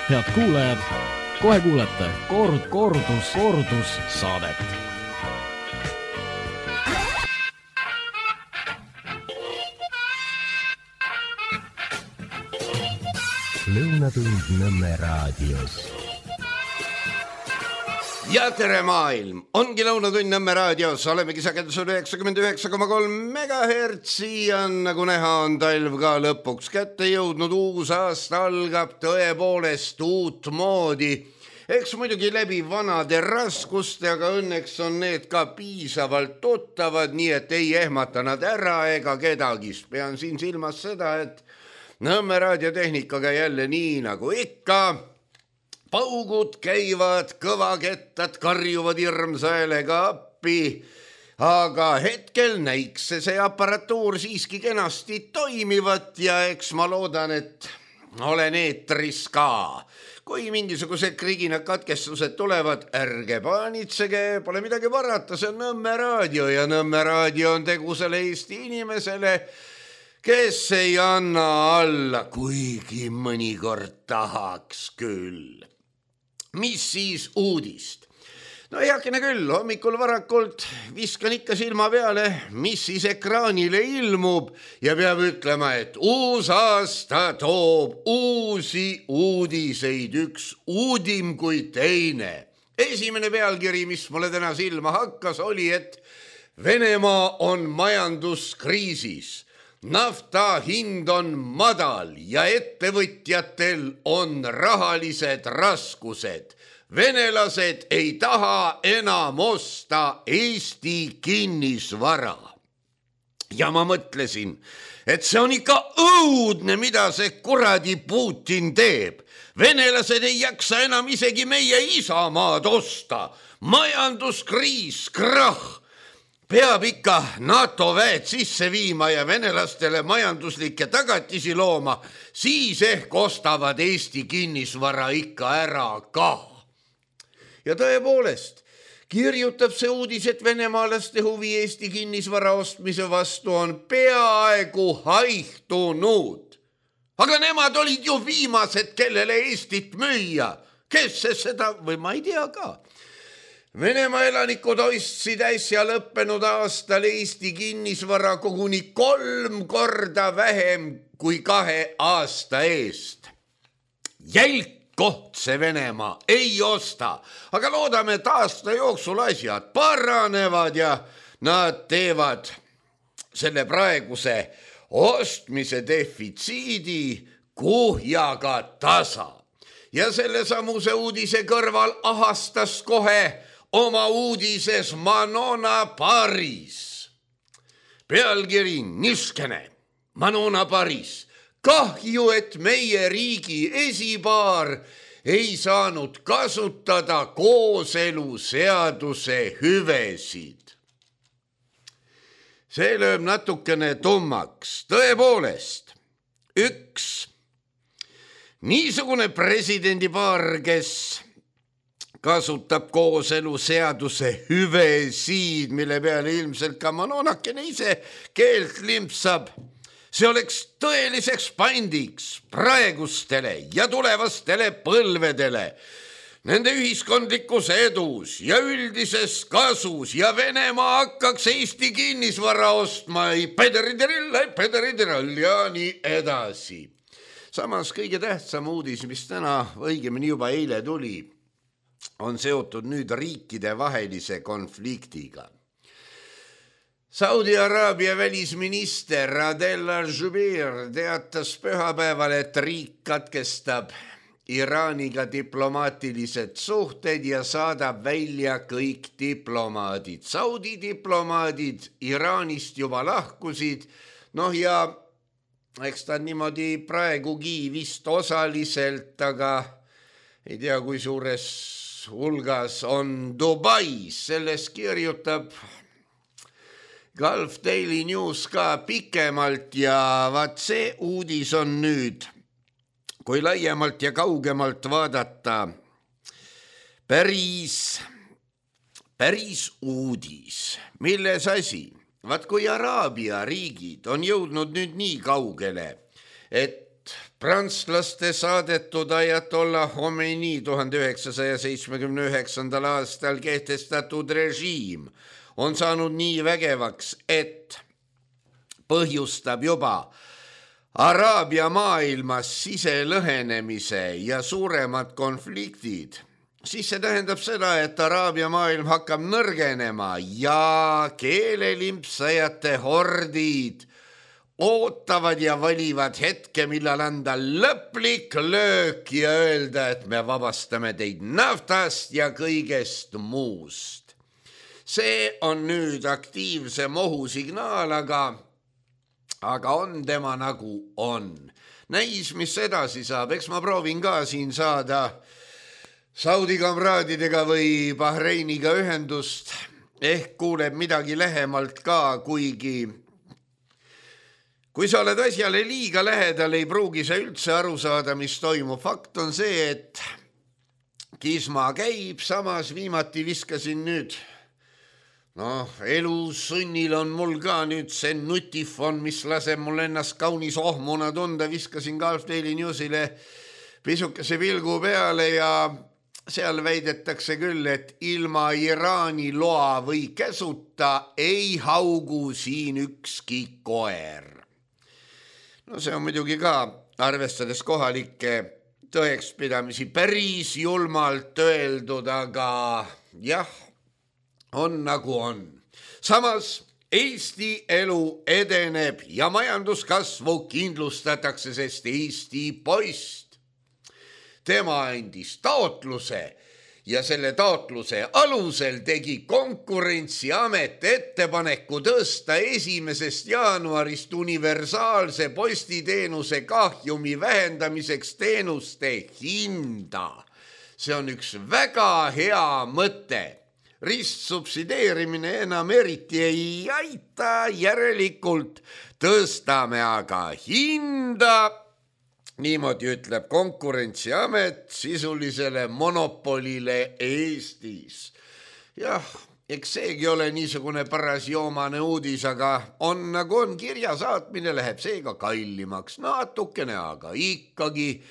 Head kuulajad, kohe kuulete kordus saadet. Lõunatund Nõmme raadios. Ja tere maailm, ongi Lõunatund Nõmme raadios, olemegi sagedusel 99,3 megahertsi ja nagu näha on talv ka lõpuks kätte jõudnud, uus aasta algab tõepoolest uut moodi. Eks muidugi läbi vanade raskuste, aga õnneks on need ka piisavalt tuttavad, nii et ei ehmata nad ära ega kedagi. Pean siin silmas seda, et Nõmme raadiotehnikaga jälle nii nagu ikka. Paugud käivad, kõvakettad karjuvad hirmsa häälega appi, aga hetkel näiks see aparatuur siiski kenasti toimivat ja eks ma loodan, et olen eetris ka. Kui mingisugused kriginad katkestused tulevad, ärge paanitsege, pole midagi parata, see on Nõmme raadio ja Nõmme raadio on tegusele Eesti inimesele, kes ei anna alla, kuigi mõnikord tahaks küll. Mis siis uudist? No heakene küll, hommikul varakult viskan ikka silma peale, mis siis ekraanile ilmub ja peab ütlema, et uus aasta toob uusi uudiseid, üks uudim kui teine. Esimene pealkiri, mis mulle täna silma hakkas, oli, et Venemaa on majanduskriisis. Nafta hind on madal ja ettevõtjatel on rahalised raskused. Venelased ei taha enam osta Eesti kinnisvara. Ja ma mõtlesin, et see on ikka õudne, mida see kuradi Putin teeb. Venelased ei jaksa enam isegi meie isamaad osta. Majanduskriis, krahh. Peab ikka NATO väed sisse viima ja venelastele majanduslikke tagatisi looma, siis ehk ostavad Eesti kinnisvara ikka ära ka. Ja tõepoolest, kirjutab see uudis, et venemaalaste huvi Eesti kinnisvara ostmise vastu on peaaegu haihtunud. Aga nemad olid ju viimased, kellele Eestit müüa. Kes see seda, või ma ei tea ka. Venemaa elanikud ostsid äsja lõppenud aastal Eesti kinnisvara koguni 3 korda vähem kui 2 aasta eest. Jälk koht see Venemaa ei osta, aga loodame, et aasta jooksul asjad paranevad ja nad teevad selle praeguse ostmise defitsiidi kuhjaga tasa. Ja selle samuse uudise kõrval ahastas kohe oma uudises Manona Paris. Pealkiri niskene, Manona Paris. Kahju, et meie riigi esipaar ei saanud kasutada kooseluseaduse hüvesid. See lööb natukene tummaks. Tõepoolest, üks niisugune presidendipaar, kes kasutab kooseluseaduse hüvesid, mille peale ilmselt ka Manonakene ise keelt limpsab. See oleks tõeliseks pandiks praegustele ja tulevastele põlvedele, nende ühiskondlikus edus ja üldises kasus ja Venemaa hakkaks Eesti kinnisvara ostma, pederidirall ja nii edasi. Samas kõige tähtsam uudis, mis täna õigemini juba eile tuli, on seotud nüüd riikide vahelise konfliktiga. Saudi Araabia välisminister Adel Al-Jubeir teatas pühapäeval, et riik katkestab Iraaniga diplomaatilised suhted ja saadab välja kõik diplomaadid. Saudi diplomaadid Iraanist juba lahkusid, ja eks ta niimoodi praegugi vist osaliselt, aga ei tea, kui suures hulgas on Dubais, selles kirjutab Gulf Daily News ka pikemalt ja vaat see uudis on nüüd, kui laiemalt ja kaugemalt vaadata, päris uudis. Milles asi? Vaat kui Araabia riigid on jõudnud nüüd nii kaugele, et prantslaste saadetud Ayatollah Khomeini 1979. aastal kehtestatud režiim on saanud nii vägevaks, et põhjustab juba Araabia maailmas siselõhenemise ja suuremad konfliktid, siis see tähendab seda, et Araabia maailm hakkab nõrgenema ja keelelimpsajate hordid ootavad ja valivad hetke, millal anda lõplik löök ja öelda, et me vabastame teid naftast ja kõigest muust. See on nüüd aktiivse mohusignaal, aga on tema nagu on. Näis, mis edasi saab, eks ma proovin ka siin saada Saudi kamraadidega või Bahreiniga ühendust, ehk kuuleb midagi lähemalt ka, kuigi kui sa oled asjale liiga lähedal, ei pruugi sa üldse aru saada, mis toimub. Fakt on see, et kisma käib, samas viimati viskasin nüüd. Elusunnil on mul ka nüüd see nutifon, mis laseb mul ennast kaunis ohmuna tunda. Viskasin Gulf Daily Newsile pisukese pilgu peale ja seal väidetakse küll, et ilma Iraani loa või käsuta ei haugu siin ükski koer. See on muidugi ka, arvestades kohalikke tõekspidamisi, päris julmalt öeldud, aga jah, on nagu on. Samas Eesti elu edeneb ja majanduskasvu kindlustatakse, sest Eesti poist. Tema andis taotluse ja selle taotluse alusel tegi Konkurentsiamet ettepaneku tõsta 1. jaanuarist universaalse postiteenuse kahjumi vähendamiseks teenuste hinda. See on üks väga hea mõte. Ristsubsideerimine enam eriti ei aita, järelikult tõstame aga hinda. Niimoodi ütleb Konkurentsiamet sisulisele monopolile Eestis. Jah, eks seegi ole niisugune paras joomane uudis, aga on nagu on, kirja saatmine läheb seega kallimaks. Natukene, aga ikkagi.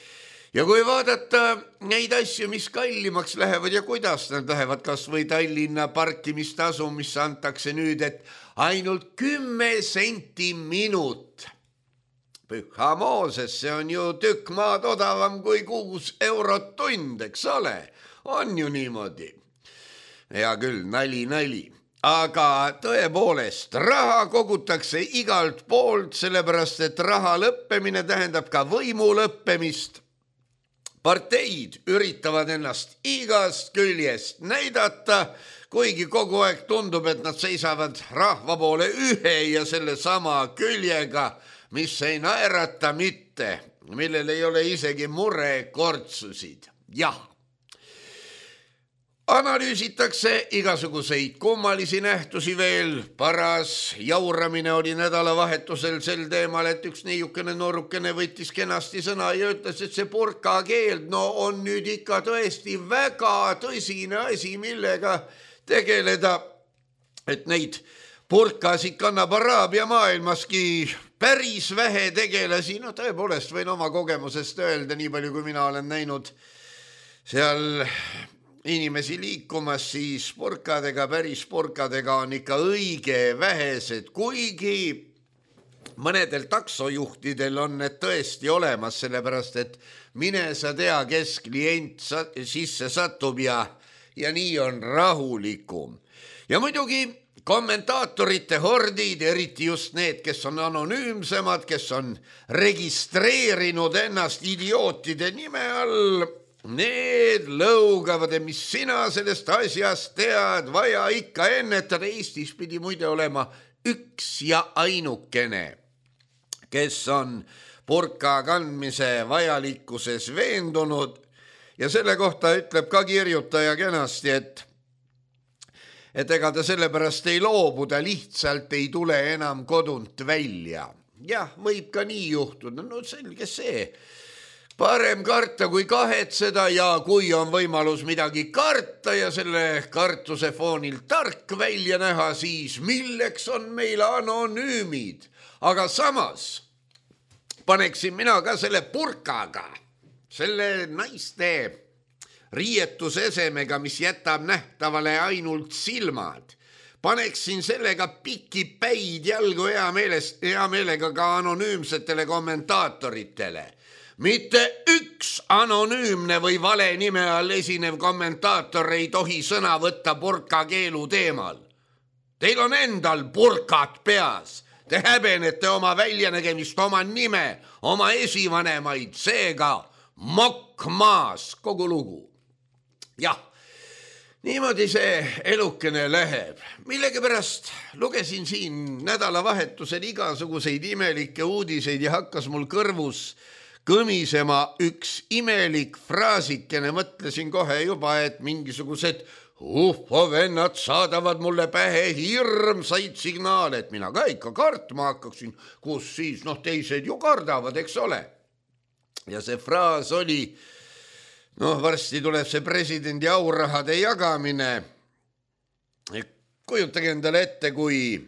Ja kui vaadata neid asju, mis kallimaks lähevad ja kuidas nad lähevad, kas või Tallinna parkimistasu, mis antakse nüüd, et ainult 10 senti minut. Püha Mooses, see on ju tükk maad odavam kui 6 eurot tund, eks ole? On ju niimoodi. Hea küll, nali. Aga tõepoolest, raha kogutakse igalt poolt, sellepärast et raha lõppemine tähendab ka võimu lõppemist. Parteid üritavad ennast igast küljest näidata, kuigi kogu aeg tundub, et nad seisavad rahva poole ühe ja selle sama küljega, mis ei naerata mitte, millel ei ole isegi murekortsusid. Jah. Analüüsitakse igasuguseid kummalisi nähtusi veel. Paras jauramine oli nädalavahetusel sel teemal, et üks niisugune noorukene võttis kenasti sõna ja ütles, et see burkakeeld on nüüd ikka tõesti väga tõsine asi, millega tegeleda, et neid burkasid kannab Araabia maailmaski päris vähe tegelasi. Tõepoolest võin oma kogemusest öelda, nii palju kui mina olen näinud seal inimesi liikumas, siis päris burkadega on ikka õige vähesed, kuigi mõnedel taksojuhtidel on need tõesti olemas, sellepärast et mine sa tea, kes klient sisse satub ja nii on rahulikum. Ja muidugi kommentaatorite hordid, eriti just need, kes on anonüümsemad, kes on registreerinud ennast idiootide nime all, need lõugavad, mis sina sellest asjast tead, vaja ikka ennetada. Eestis pidi muide olema üks ja ainukene, kes on burka kandmise vajalikkuses veendunud ja selle kohta ütleb ka kirjutaja kenasti, et ega ta sellepärast ei loobu, ta lihtsalt ei tule enam kodunt välja. Jah, võib ka nii juhtuda, selge see. Parem karta kui kahetseda ja kui on võimalus midagi karta ja selle kartuse foonil tark välja näha, siis milleks on meil anonüümid. Aga samas paneksin mina ka selle purkaga, selle naiste riietusesemega, mis jätab nähtavale ainult silmad. Paneksin sellega pikipäid jalgu hea meelega ka anonüümsetele kommentaatoritele. Mitte üks anonüümne või vale nime all esinev kommentaator ei tohi sõna võtta purkakeelu teemal. Teil on endal purkat peas. Te häbenete oma väljanägemist, oma nime, oma esivanemaid, seega mokk maas, kogu lugu. Jah, niimoodi see elukene läheb. Millegipärast lugesin siin nädalavahetusel igasuguseid imelikke uudiseid ja hakkas mul kõrvus kõmisema üks imelik fraasikene. Mõtlesin kohe juba, et mingisugused vennad saadavad mulle pähe hirmsaid signaale, et mina ka ikka kartma hakkaksin, kus siis, teised ju kardavad, eks ole. Ja see fraas oli, varsti tuleb see presidendi aurahade jagamine. Kujutage endale ette, kui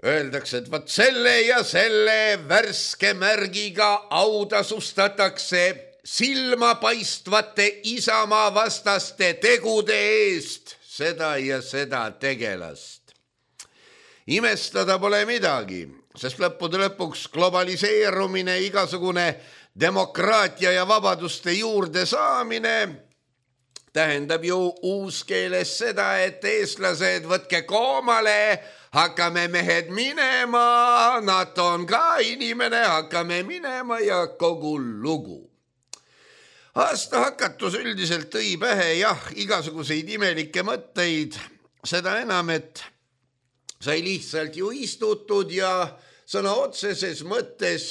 öeldakse, et vaat selle ja selle värske märgiga autasustatakse silmapaistvate Isamaa vastaste tegude eest seda ja seda tegelast. Imestada pole midagi, sest lõppude lõpuks globaliseerumine, igasugune demokraatia ja vabaduste juurde saamine tähendab ju uuskeeles seda, et eestlased, võtke koomale, hakkame mehed minema, NATO on ka inimene, hakkame minema ja kogu lugu. Aasta hakatus üldiselt tõi pähe igasuguseid imelikke mõtteid, seda enam, et sai lihtsalt ju istutud ja sõna otseses mõttes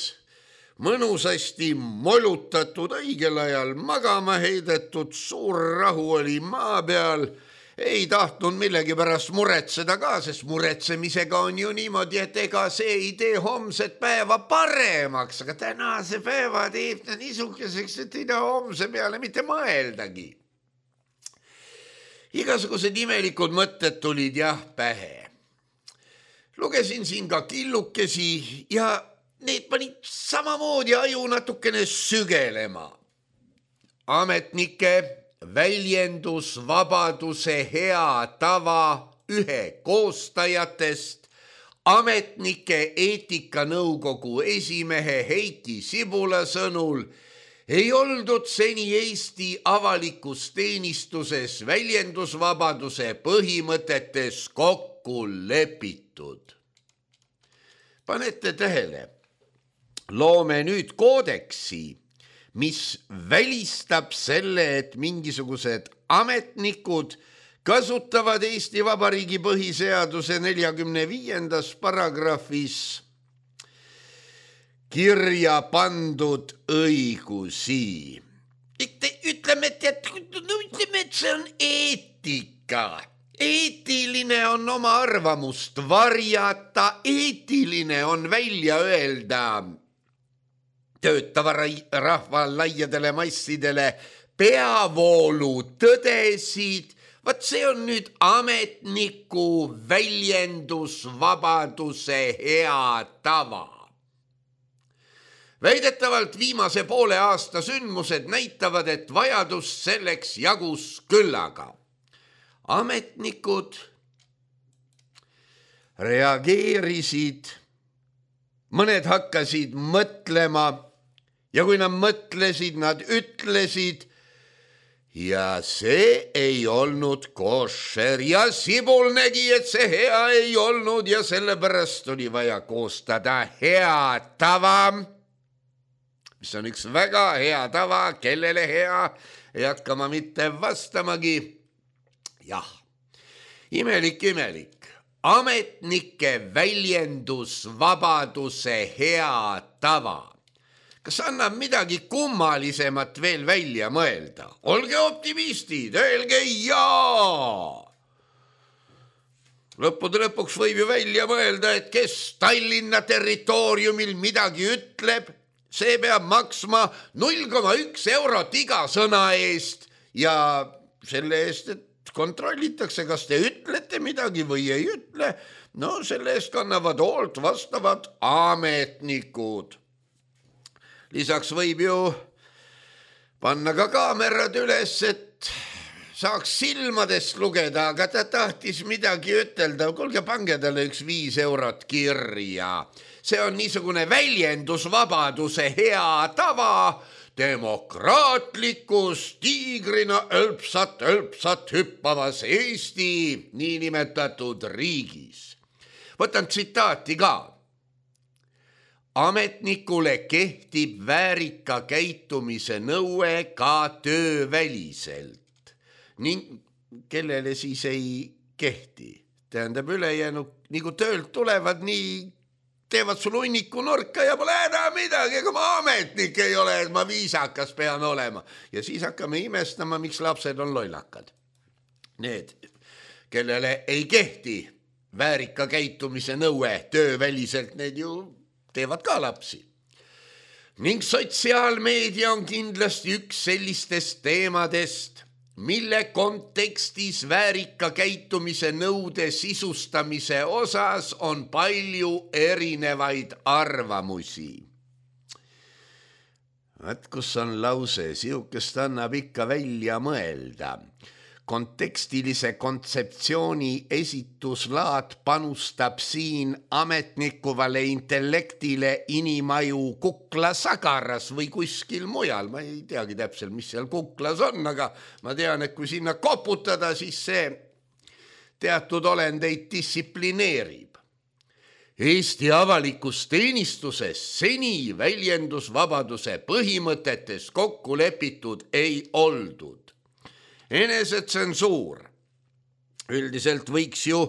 mõnusasti molutatud, õigel ajal magama heidetud, suur rahu oli maa peal, ei tahtnud millegipärast muretseda ka, sest muretsemisega on ju niimoodi, et ega see ei tee homset päeva paremaks, aga tänase päeva teeb ta niisuguseks, et ei taha homse peale mitte mõeldagi. Igasugused imelikud mõtted tulid pähe. Lugesin siin ka killukesi ja need panid samamoodi aju natukene sügelema. Ametnike väljendusvabaduse hea tava ühe koostajatest, ametnike eetikanõukogu esimehe Heiki Sibula sõnul ei oldud seni Eesti avalikus teenistuses väljendusvabaduse põhimõtetes kokku lepitud. Panete tähele, loome nüüd koodeksi, mis välistab selle, et mingisugused ametnikud kasutavad Eesti Vabariigi põhiseaduse 45. paragrahvis kirja pandud õigusi. Ütleme, et see on eetika. Eetiline on oma arvamust varjata, eetiline on välja öelda töötava rahva laiadele massidele peavoolu tõdesid. Vaat see on nüüd ametniku väljendusvabaduse hea tava. Väidetavalt viimase poole aasta sündmused näitavad, et vajadus selleks jagus küllaga. Ametnikud reageerisid, mõned hakkasid mõtlema ja kui nad mõtlesid, nad ütlesid ja see ei olnud koššer ja Sibul nägi, et see hea ei olnud ja sellepärast oli vaja koostada hea tava, mis on üks väga hea tava, kellele hea, ei hakka ma mitte vastamagi. Jah, imelik. Ametnike väljendusvabaduse hea tava. Kas annab midagi kummalisemat veel välja mõelda? Olge optimistid, öelge jaa! Lõppude lõpuks võib ju välja mõelda, et kes Tallinna territooriumil midagi ütleb, see peab maksma 0,1 eurot iga sõna eest ja selle eest, et kontrollitakse, kas te ütlete midagi või ei ütle. no selle eest kannavad hoolt vastavad ametnikud. Lisaks võib ju panna ka kaamerad üles, et saaks silmadest lugeda, aga ta tahtis midagi ütelda. Kuulge, pange talle üks 5 eurot kirja. See on niisugune väljendusvabaduse hea tava demokraatlikus tiigrina ölpsat hüppavas Eesti niinimetatud riigis. Võtan tsitaati ka. Ametnikule kehtib väärika käitumise nõue ka tööväliselt. Ning kellele siis ei kehti. Tähendab ülejäänud, nagu töölt tulevad, nii teevad sul hunniku nurka ja pole enam midagi, kui ma ametnik ei ole, et ma viisakas pean olema. Ja siis hakkame imestama, miks lapsed on lollakad. Need, kellele ei kehti väärika käitumise nõue tööväliselt, need ju teevad ka lapsi. Ning sotsiaalmeedia on kindlasti üks sellistest teemadest, mille kontekstis väärika käitumise nõude sisustamise osas on palju erinevaid arvamusi. Vaat kus on lause, sihukest annab ikka välja mõelda. Kontekstilise kontseptsiooni esituslaad panustab siin ametnikuvale intellektile inimaju kuklasagaras või kuskil mujal. Ma ei teagi täpselt, mis seal kuklas on, aga ma tean, et kui sinna koputada, siis see teatud olendeid distsiplineerib. Eesti avalikus teenistuses seni väljendusvabaduse põhimõtetes kokku lepitud ei oldud. Enesetsensuur. Üldiselt võiks ju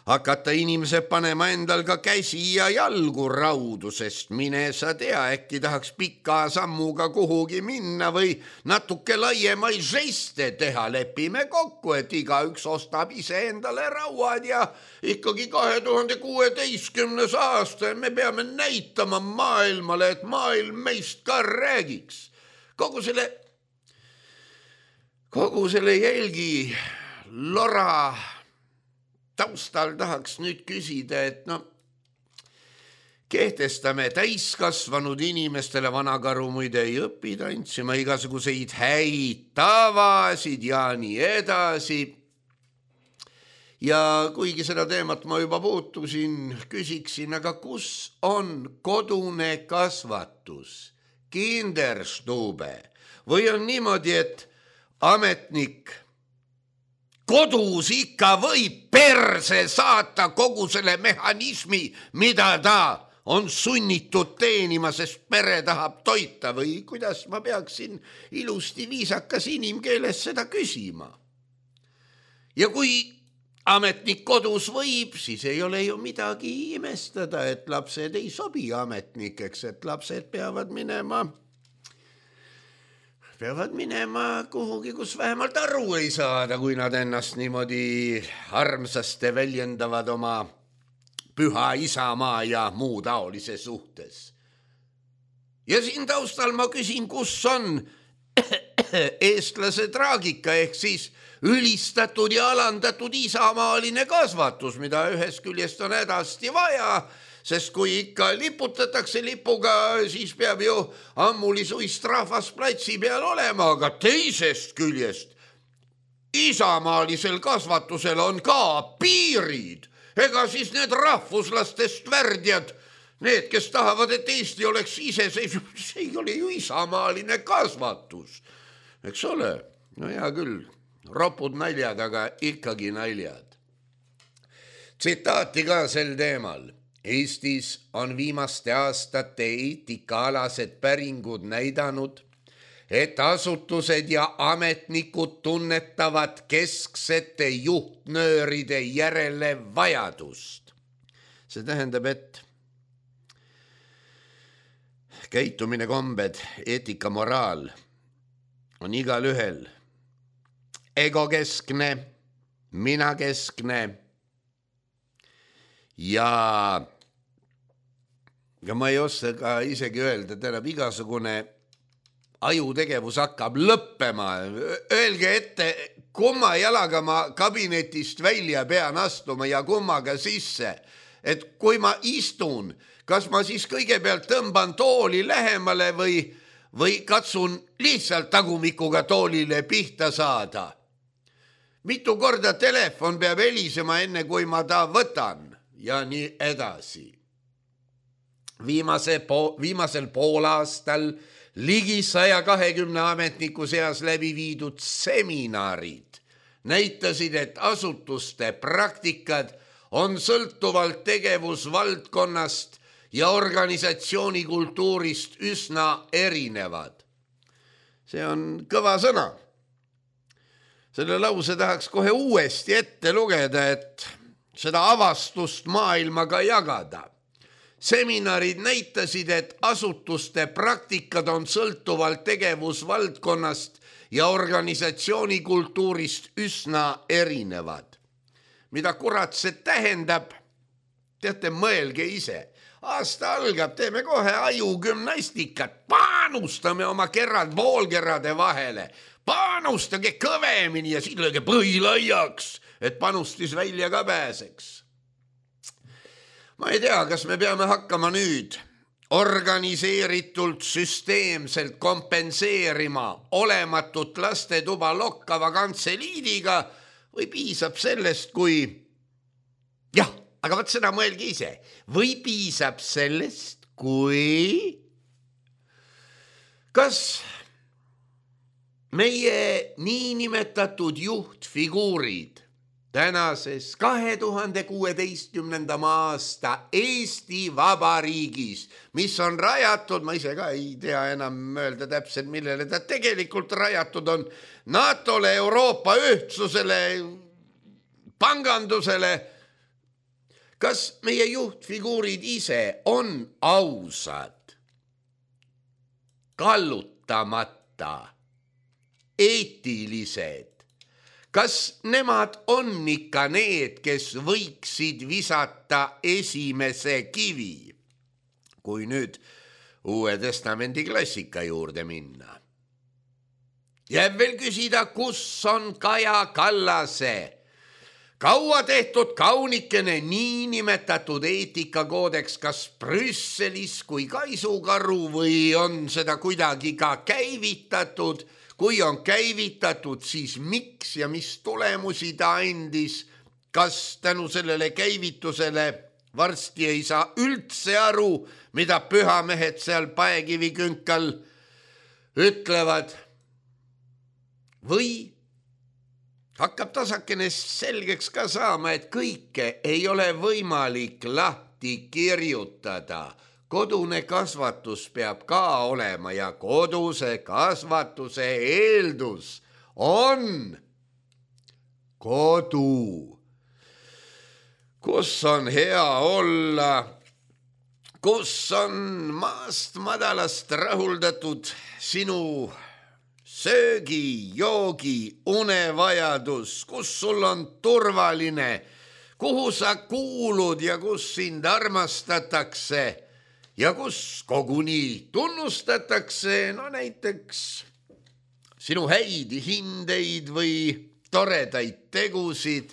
hakata inimesed panema endal ka käsi ja jalgu raudu, sest mine sa tea, äkki tahaks pika sammuga kuhugi minna või natuke laiemaid žeste teha. Lepime kokku, et igaüks ostab ise endale rauad ja ikkagi 2016. aasta me peame näitama maailmale, et maailm meist ka räägiks. Kogu selle jälgi lora taustal tahaks nüüd küsida, et kehtestame täiskasvanud inimestele, vanakaru muide ei õpi tantsima, igasuguseid häid tavasid ja nii edasi. Ja kuigi seda teemat ma juba puutusin, küsiksin, aga kus on kodune kasvatus, Kinderstube, või on niimoodi, et ametnik kodus ikka võib perse saata kogu selle mehhanismi, mida ta on sunnitud teenima, sest pere tahab toita, või kuidas ma peaksin ilusti viisakas inimkeeles seda küsima. Ja kui ametnik kodus võib, siis ei ole ju midagi imestada, et lapsed ei sobi ametnikeks, et lapsed peavad minema kuhugi, kus vähemalt aru ei saada, kui nad ennast niimoodi armsasti väljendavad oma püha isamaa ja muu taolise suhtes. Ja siin taustal ma küsin, kus on eestlase traagika ehk siis ülistatud ja alandatud isamaaline kasvatus, mida ühest küljest on hädasti vaja, sest kui ikka liputatakse lipuga, siis peab ju ammulisuist rahvas platsi peal olema, aga teisest küljest isamaalisel kasvatusel on ka piirid. Ega siis need rahvuslastest värdjad, need, kes tahavad, et Eesti oleks iseseisev, see ei ole ju isamaaline kasvatus. Eks ole? No hea küll, ropud naljad, aga ikkagi naljad. Tsitaati ka sel teemal. Eestis on viimaste aastate eetikaalased päringud näidanud, et asutused ja ametnikud tunnetavad kesksete juhtnööride järele vajadust. See tähendab, et käitumine, kombed, eetika, moraal on igal ühel egokeskne, minakeskne ja ma ei oska ka isegi öelda, tähendab igasugune ajutegevus hakkab lõppema. Öelge ette, kumma jalaga ma kabinetist välja pean astuma ja kummaga sisse. Et kui ma istun, kas ma siis kõigepealt tõmban tooli lähemale või katsun lihtsalt tagumikuga toolile pihta saada. Mitu korda telefon peab helisema enne, kui ma ta võtan ja nii edasi. Viimasel poolaastal ligi 120 ametniku seas läbi viidud seminarid näitasid, et asutuste praktikad on sõltuvalt tegevusvaldkonnast ja organisatsiooni kultuurist üsna erinevad. See on kõva sõna. Selle lause tahaks kohe uuesti ette lugeda, et seda avastust maailmaga jagada. Seminarid näitasid, et asutuste praktikad on sõltuvalt tegevusvaldkonnast ja organisatsiooni kultuurist üsna erinevad. Mida kurat see tähendab? Teate, mõelge ise. Aasta algab, teeme kohe ajugümnastikat, panustame oma kerrad poolkerrade vahele, panustage kõvemini ja siin lõige põhilaiaks, et panustis välja ka pääseks. Ma ei tea, kas me peame hakkama nüüd organiseeritult süsteemselt kompenseerima olematut lastetuba lokkava kantseliidiga või piisab sellest, kui... Jah, aga võt seda mõelge ise. Või piisab sellest, kui... Kas meie niinimetatud juhtfiguurid tänases 2016. aasta Eesti Vabariigis, mis on rajatud, ma ise ka ei tea enam öelda täpselt, millele ta tegelikult rajatud on, NATO-le, Euroopa ühtsusele, pangandusele. Kas meie juhtfiguurid ise on ausad, kallutamata, eetilised? Kas nemad on ikka need, kes võiksid visata esimese kivi, kui nüüd Uue Testamendi klassika juurde minna? Jääb veel küsida, kus on Kaja Kallase kaua tehtud kaunikene niinimetatud eetikakoodeks, kas Brüsselis kui kaisukaru või on seda kuidagi ka käivitatud? Kui on käivitatud, siis miks ja mis tulemusi ta andis? Kas tänu sellele käivitusele varsti ei saa üldse aru, mida pühamehed seal paekivikünkal ütlevad? Või hakkab tasakene selgeks ka saama, et kõike ei ole võimalik lahti kirjutada. Kodune kasvatus peab ka olema ja koduse kasvatuse eeldus on kodu, kus on hea olla, kus on maast madalast rahuldatud sinu söögi, joogi, unevajadus, kus sul on turvaline, kuhu sa kuulud ja kus sind armastatakse ja kus koguni tunnustatakse, no näiteks sinu häid hindeid või toredaid tegusid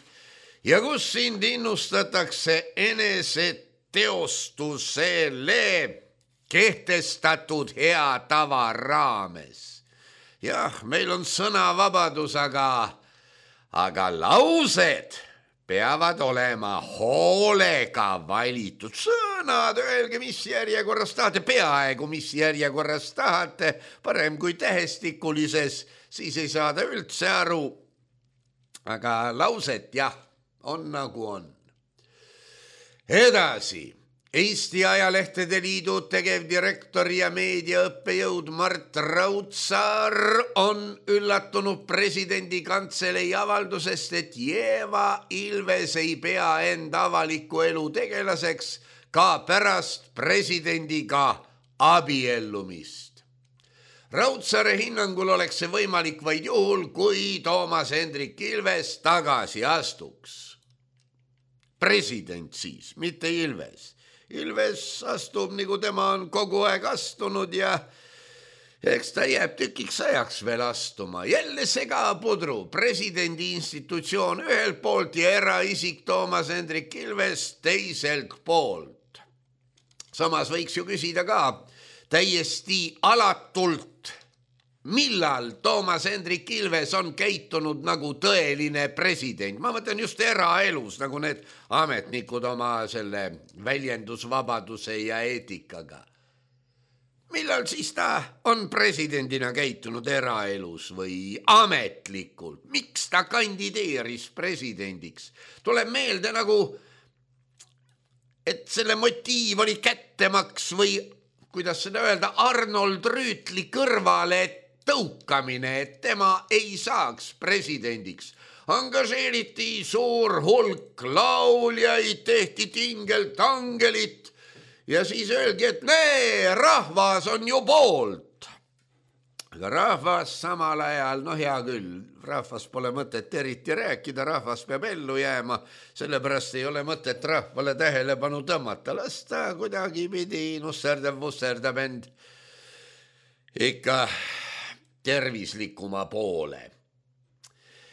ja kus sind innustatakse eneseteostusele kehtestatud hea tava raames. Jah, meil on sõnavabadus, aga laused peavad olema hoolega valitud. Sõnad, öelge, mis järjekorras tahate, peaaegu mis järjekorras tahate, parem kui tähestikulises, siis ei saada üldse aru. Aga lauset, jah, on nagu on. Edasi, Eesti Ajalehtede Liidu tegevdirektor ja meediaõppejõud Mart Raudsaar on üllatunud presidendi kantselei avaldusest, et Jeeva Ilves ei pea end avaliku elu tegelaseks ka pärast presidendiga abiellumist. Raudsaare hinnangul oleks see võimalik vaid juhul, kui Toomas Hendrik Ilves tagasi astuks. President siis, mitte Ilves. Ilves astub, nagu tema on kogu aeg astunud ja Eks ta jääb tükiks ajaks veel astuma. Jälle segapudru, presidendi institutsioon ühelt poolt ja eraisik Toomas Hendrik Ilves teiselt poolt. Samas võiks ju küsida ka täiesti alatult, millal Toomas Hendrik Ilves on käitunud nagu tõeline president. Ma mõtlen just eraelus, nagu need ametnikud oma selle väljendusvabaduse ja eetikaga. Millal siis ta on presidendina käitunud eraelus või ametlikult? Miks ta kandideeris presidendiks? Tuleb meelde nagu, et selle motiiv oli kättemaks või, kuidas seda öelda, Arnold Rüütli kõrvale tõukamine, et tema ei saaks presidendiks. Angažeeriti suur hulk lauljaid, tehti tingeltangelit, ja siis öeldi, et nee, rahvas on ju poolt. Aga rahvas samal ajal, hea küll, rahvas pole mõtet eriti rääkida, rahvas peab ellu jääma, sellepärast ei ole mõtet rahvale tähelepanu tõmmata. Las ta kuidagi pidi nusserdab end ikka tervislikuma poole.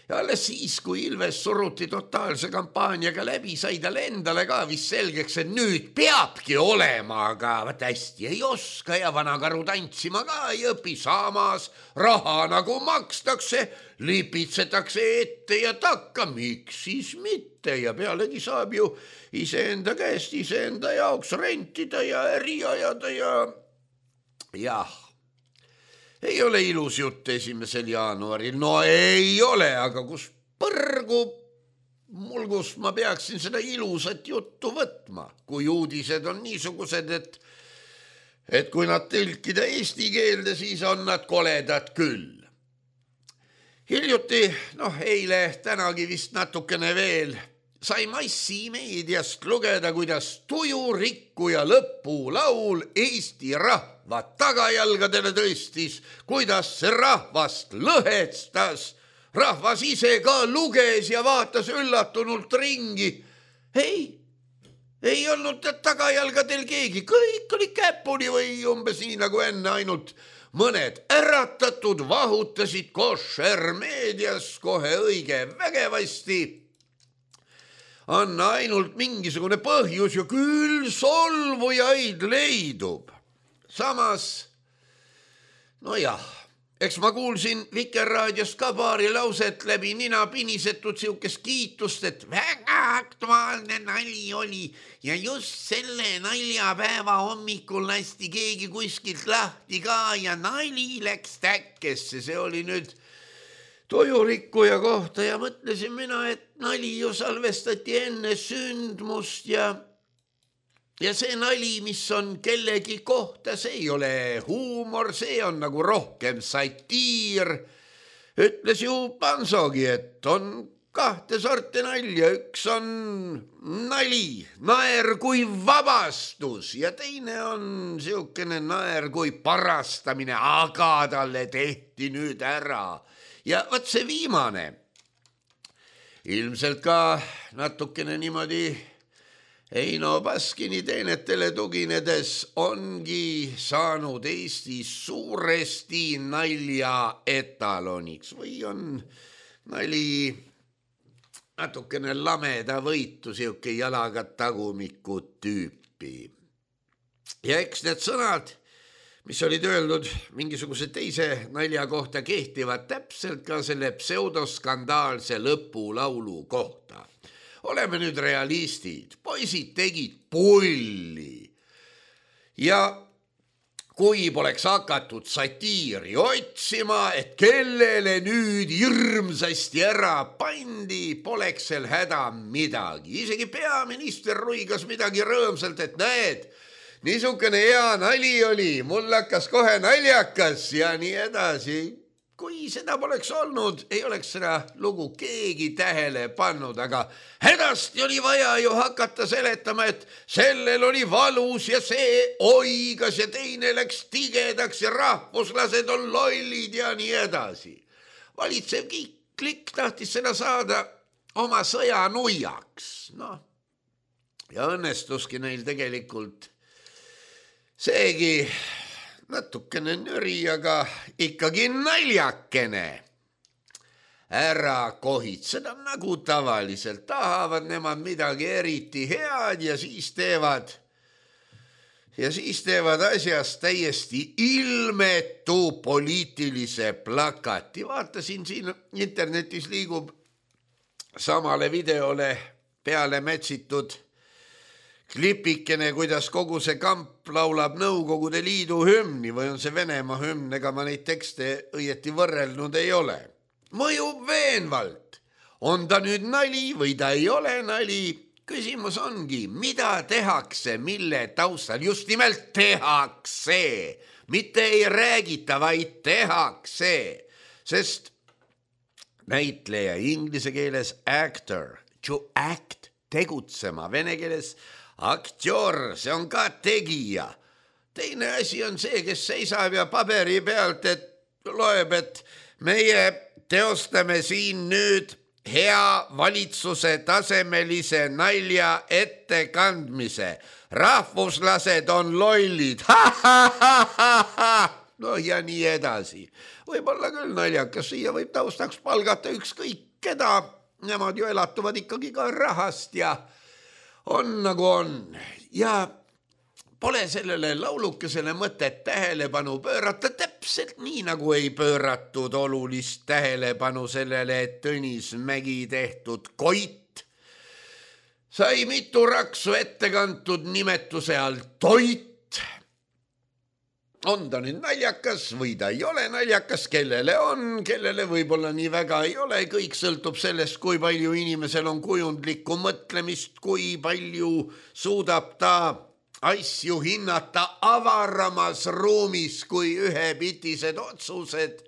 Ja alles siis, kui Ilves suruti totaalse kampaaniaga läbi, sai talle endale ka vist selgeks, et nüüd peabki olema, aga hästi ei oska ja vanakaru tantsima ka ei õpi. Samas raha nagu makstakse, lipitsetakse ette ja takka, miks siis mitte, ja pealegi saab ju iseenda käest iseenda jaoks rentida ja äri ajada ja jah. Ei ole ilus jutt 1. jaanuaril. No ei ole, aga kus põrgu mulgust ma peaksin seda ilusat juttu võtma, kui uudised on niisugused, et kui nad tõlkida eesti keelde, siis on nad koledad küll. Hiljuti, eile, tänagi vist natukene veel, sai massimeediast lugeda, kuidas tujurikkuja lõpulaul Eesti rahva tagajalgadele tõstis, kuidas see rahvast lõhestas. Rahvas ise ka luges ja vaatas üllatunult ringi. Ei olnud tagajalgadel keegi, kõik oli käpuni või umbes nii nagu enne, ainult mõned äratatud vahutasid koššermeedias kohe õige vägevasti. Anna ainult mingisugune põhjus ja küll solvujaid leidub. Samas, eks ma kuulsin Vikerraadiost ka paari lauset läbi nina pinisetud siukest kiitust, et väga aktuaalne nali oli ja just selle naljapäeva hommikul lasti keegi kuskilt lahti ka ja nali läks täkkesse. See oli nüüd tujurikkuja kohta ja mõtlesin mina, et nali ju salvestati enne sündmust ja see nali, mis on kellegi kohta, see ei ole huumor, see on nagu rohkem satiir. Ütles ju Pansogi, et on kahte sorti nalja, üks on nali, naer kui vabastus ja teine on siukene naer kui parastamine, aga talle tehti nüüd ära. Ja võt see viimane, ilmselt ka natukene niimoodi Eino Baskini teenetele tuginedes ongi saanud Eestis suuresti nalja etaloniks või on nali natukene lameda võitu, siuke jalaga tagumiku tüüpi. Ja eks need sõnad, mis olid öeldud mingisuguse teise nalja kohta, kehtivad täpselt ka selle pseudoskandaalse lõpulaulu kohta. Oleme nüüd realistid, poisid tegid pulli ja kui poleks hakatud satiiri otsima, et kellele nüüd hirmsasti ära pandi, poleks seal häda midagi. Isegi peaminister ruigas midagi rõõmsalt, et näed, niisugune hea nali oli, mul hakkas kohe naljakas ja nii edasi. Kui seda poleks olnud, ei oleks seda lugu keegi tähele pannud, aga hädasti oli vaja ju hakata seletama, et sellel oli valus ja see oigas ja teine läks tigedaks ja rahvuslased on lollid ja nii edasi. Valitsev klikk tahtis seda saada oma sõjanuiaks. Ja õnnestuski neil tegelikult seegi natukene nüri, aga ikkagi naljakene. Ära kohitseda, nagu tavaliselt tahavad nemad midagi eriti head ja siis teevad asjast täiesti ilmetu poliitilise plakati. Vaatasin siin internetis liigub samale videole peale mätsitud klipikene, kuidas kogu see kamp laulab Nõukogude Liidu hümni või on see Venemaa hümn, ega ma neid tekste õieti võrrelnud ei ole. Mõjub veenvalt. On ta nüüd nali või ta ei ole nali? Küsimus ongi, mida tehakse, mille taustal? Just nimelt tehakse. Mitte ei räägita, vaid tehakse. Sest näitleja inglise keeles actor, to act, tegutsema, vene keeles aktjor, see on ka tegija. Teine asi on see, kes seisab ja paberi pealt, et loeb, et meie teostame siin nüüd hea valitsuse tasemelise nalja ettekandmise. Rahvuslased on lollid. No ja nii edasi. Võib-olla küll naljakas, siia võib taustaks palgata ükskõik keda. Nemad ju elatuvad ikkagi ka rahast ja on nagu on. Ja pole sellele laulukesele mõtet tähelepanu pöörata täpselt nii, nagu ei pööratud olulist tähelepanu sellele, et Tõnis Mägi tehtud Koit sai mitu raksu ette kantud nimetuse all toit. On ta nüüd naljakas või ta ei ole naljakas, kellele on, kellele võib-olla nii väga ei ole. Kõik sõltub sellest, kui palju inimesel on kujundlikku mõtlemist, kui palju suudab ta asju hinnata avaramas ruumis kui ühepitised otsused.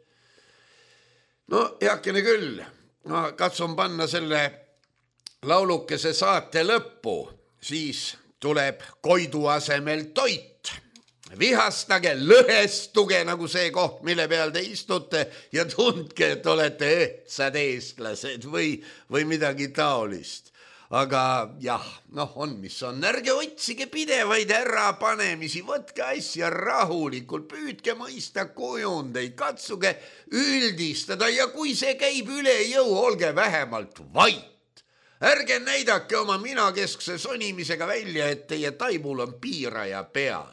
No heakene küll, ma katsun panna selle laulukese saate lõppu, siis tuleb Koidu asemel toit. Vihastage, lõhestuge nagu see koht, mille peal te istute ja tundke, et olete ehtsad eestlased või midagi taolist. Aga jah, on mis on, ärge otsige pidevaid ärapanemisi, võtke asja rahulikult, püüdke mõista kujundeid, katsuge üldistada ja kui see käib üle jõu, olge vähemalt vait. Ärge näidake oma minakeskse sonimisega välja, et teie taibul on piiraja peal.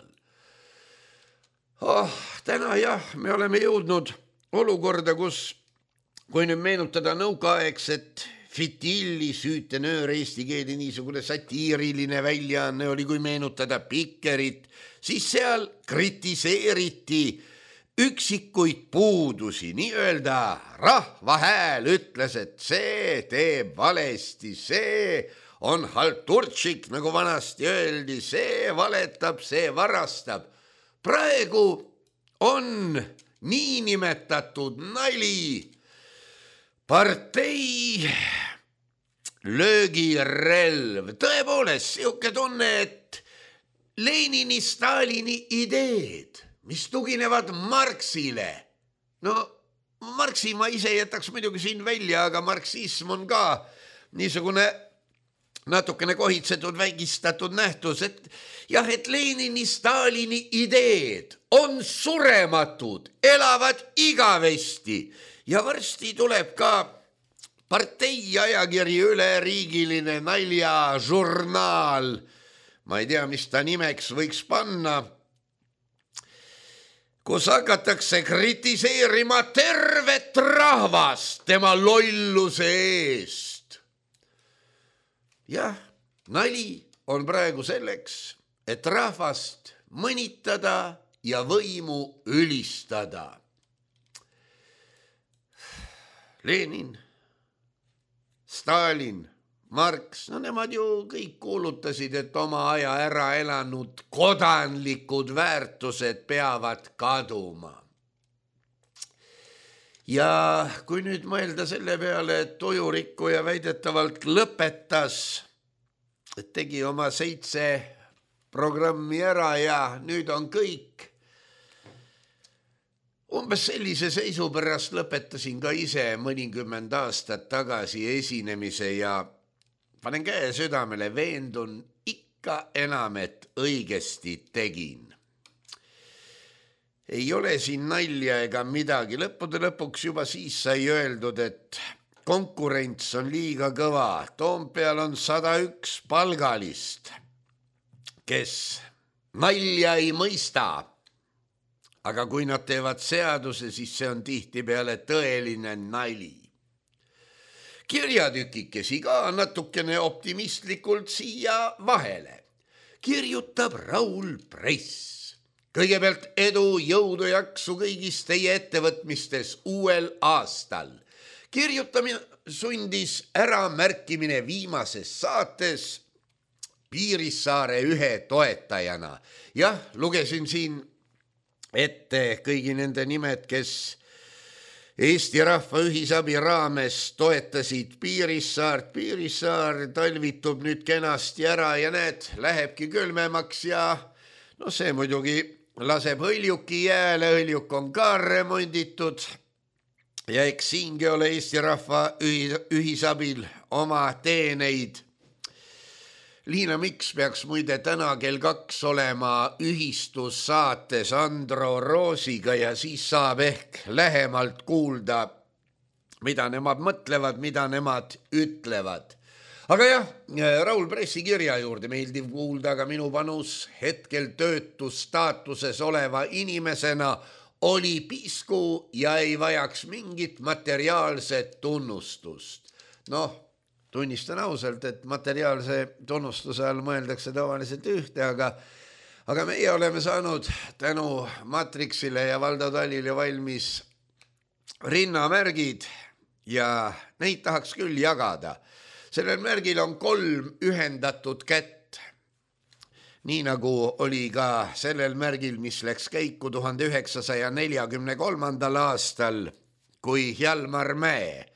Täna jah, me oleme jõudnud olukorda, kus, kui nüüd meenutada nõukaaegset Fitilli süütenöör eesti keeli niisugune satiiriline väljaanne oli, kui meenutada Pikkerit, siis seal kritiseeriti üksikuid puudusi, nii-öelda rahva hääl ütles, et see teeb valesti, see on halturtšik, nagu vanasti öeldi, see valetab, see varastab. Praegu on niinimetatud nali partei löögirelv. Tõepoolest, siuke tunne, et Lenini, Stalini ideed, mis tuginevad Marxile. No, Marxi ma ise jätaks muidugi siin välja, aga marksism on ka niisugune natukene kohitsetud, vägistatud nähtus, et jah, et Lenini, Stalini ideed on surematud, elavad igavesti ja varsti tuleb ka partei ajakiri üleriigiline naljažurnaal. Ma ei tea, mis ta nimeks võiks panna, kus hakatakse kritiseerima tervet rahvast tema lolluse eest. Jah, nali on praegu selleks, et rahvast mõnitada ja võimu ülistada. Lenin, Stalin, Marx, no nemad ju kõik kuulutasid, et oma aja ära elanud kodanlikud väärtused peavad kaduma. Ja kui nüüd mõelda selle peale, et tujurikkuja väidetavalt lõpetas, et tegi oma 7 programmi ära ja nüüd on kõik. Umbes sellise seisu pärast lõpetasin ka ise mõnikümmend aastat tagasi esinemise ja panen käe südamele, veendun ikka enam, et õigesti tegin. ei ole siin nalja ega midagi. Lõppude lõpuks juba siis sai öeldud, et konkurents on liiga kõva. Toompeal on 101 palgalist, kes nalja ei mõista. Aga kui nad teevad seaduse, siis see on tihtipeale tõeline nali. Kirjatükikesi ka natukene optimistlikult siia vahele. Kirjutab Raul Press. Kõigepealt edu, jõudu, jaksu kõigis teie ettevõtmistes uuel aastal. Kirjutamine sundis ära märkimine viimases saates Piirissaare ühe toetajana. Jah, lugesin siin ette kõigi nende nimed, kes Eesti Rahva Ühisabi raames toetasid Piirissaart. Piirissaar talvitub nüüd kenasti ära ja näed, lähebki külmemaks ja see muidugi laseb hõljuki jääle, hõljuk on ka remonditud ja eks siingi ole Eesti Rahva Ühisabil oma teeneid. Liina Miks peaks muide täna kell 2 olema ühistussaates Andro Roosiga ja siis saab ehk lähemalt kuulda, mida nemad mõtlevad, mida nemad ütlevad. Aga jah, Raul Pressi kirja juurde meeldiv kuulda, aga minu panus hetkel töötusstaatuses oleva inimesena oli pisku ja ei vajaks mingit materiaalset tunnustust. Tunnistan ausalt, et materiaalse tunnustuse all mõeldakse tavaliselt ühte, aga meie oleme saanud tänu Matrixile ja Valdo Talile valmis rinnamärgid ja neid tahaks küll jagada. Sellel märgil on 3 ühendatud kätt, nii nagu oli ka sellel märgil, mis läks käiku 1943. aastal, kui Hjalmar Mäe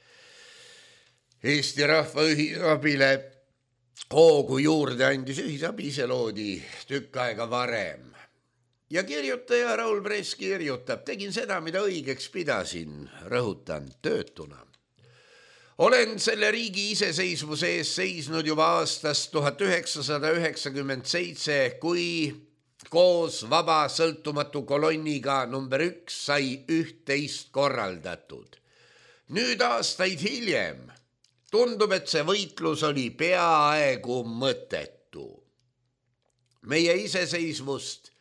Eesti Rahva Ühisabile hoogu juurde andis. Ühisabi ise loodi tükk aega varem. Ja kirjutaja Raul Press kirjutab, tegin seda, mida õigeks pidasin, rõhutan, töötuna. Olen selle riigi iseseisvuse ees seisnud juba aastast 1997, kui koos vaba sõltumatu kolonniga number 1 sai 11 korraldatud. Nüüd aastaid hiljem tundub, et see võitlus oli peaaegu mõttetu. Meie iseseisvust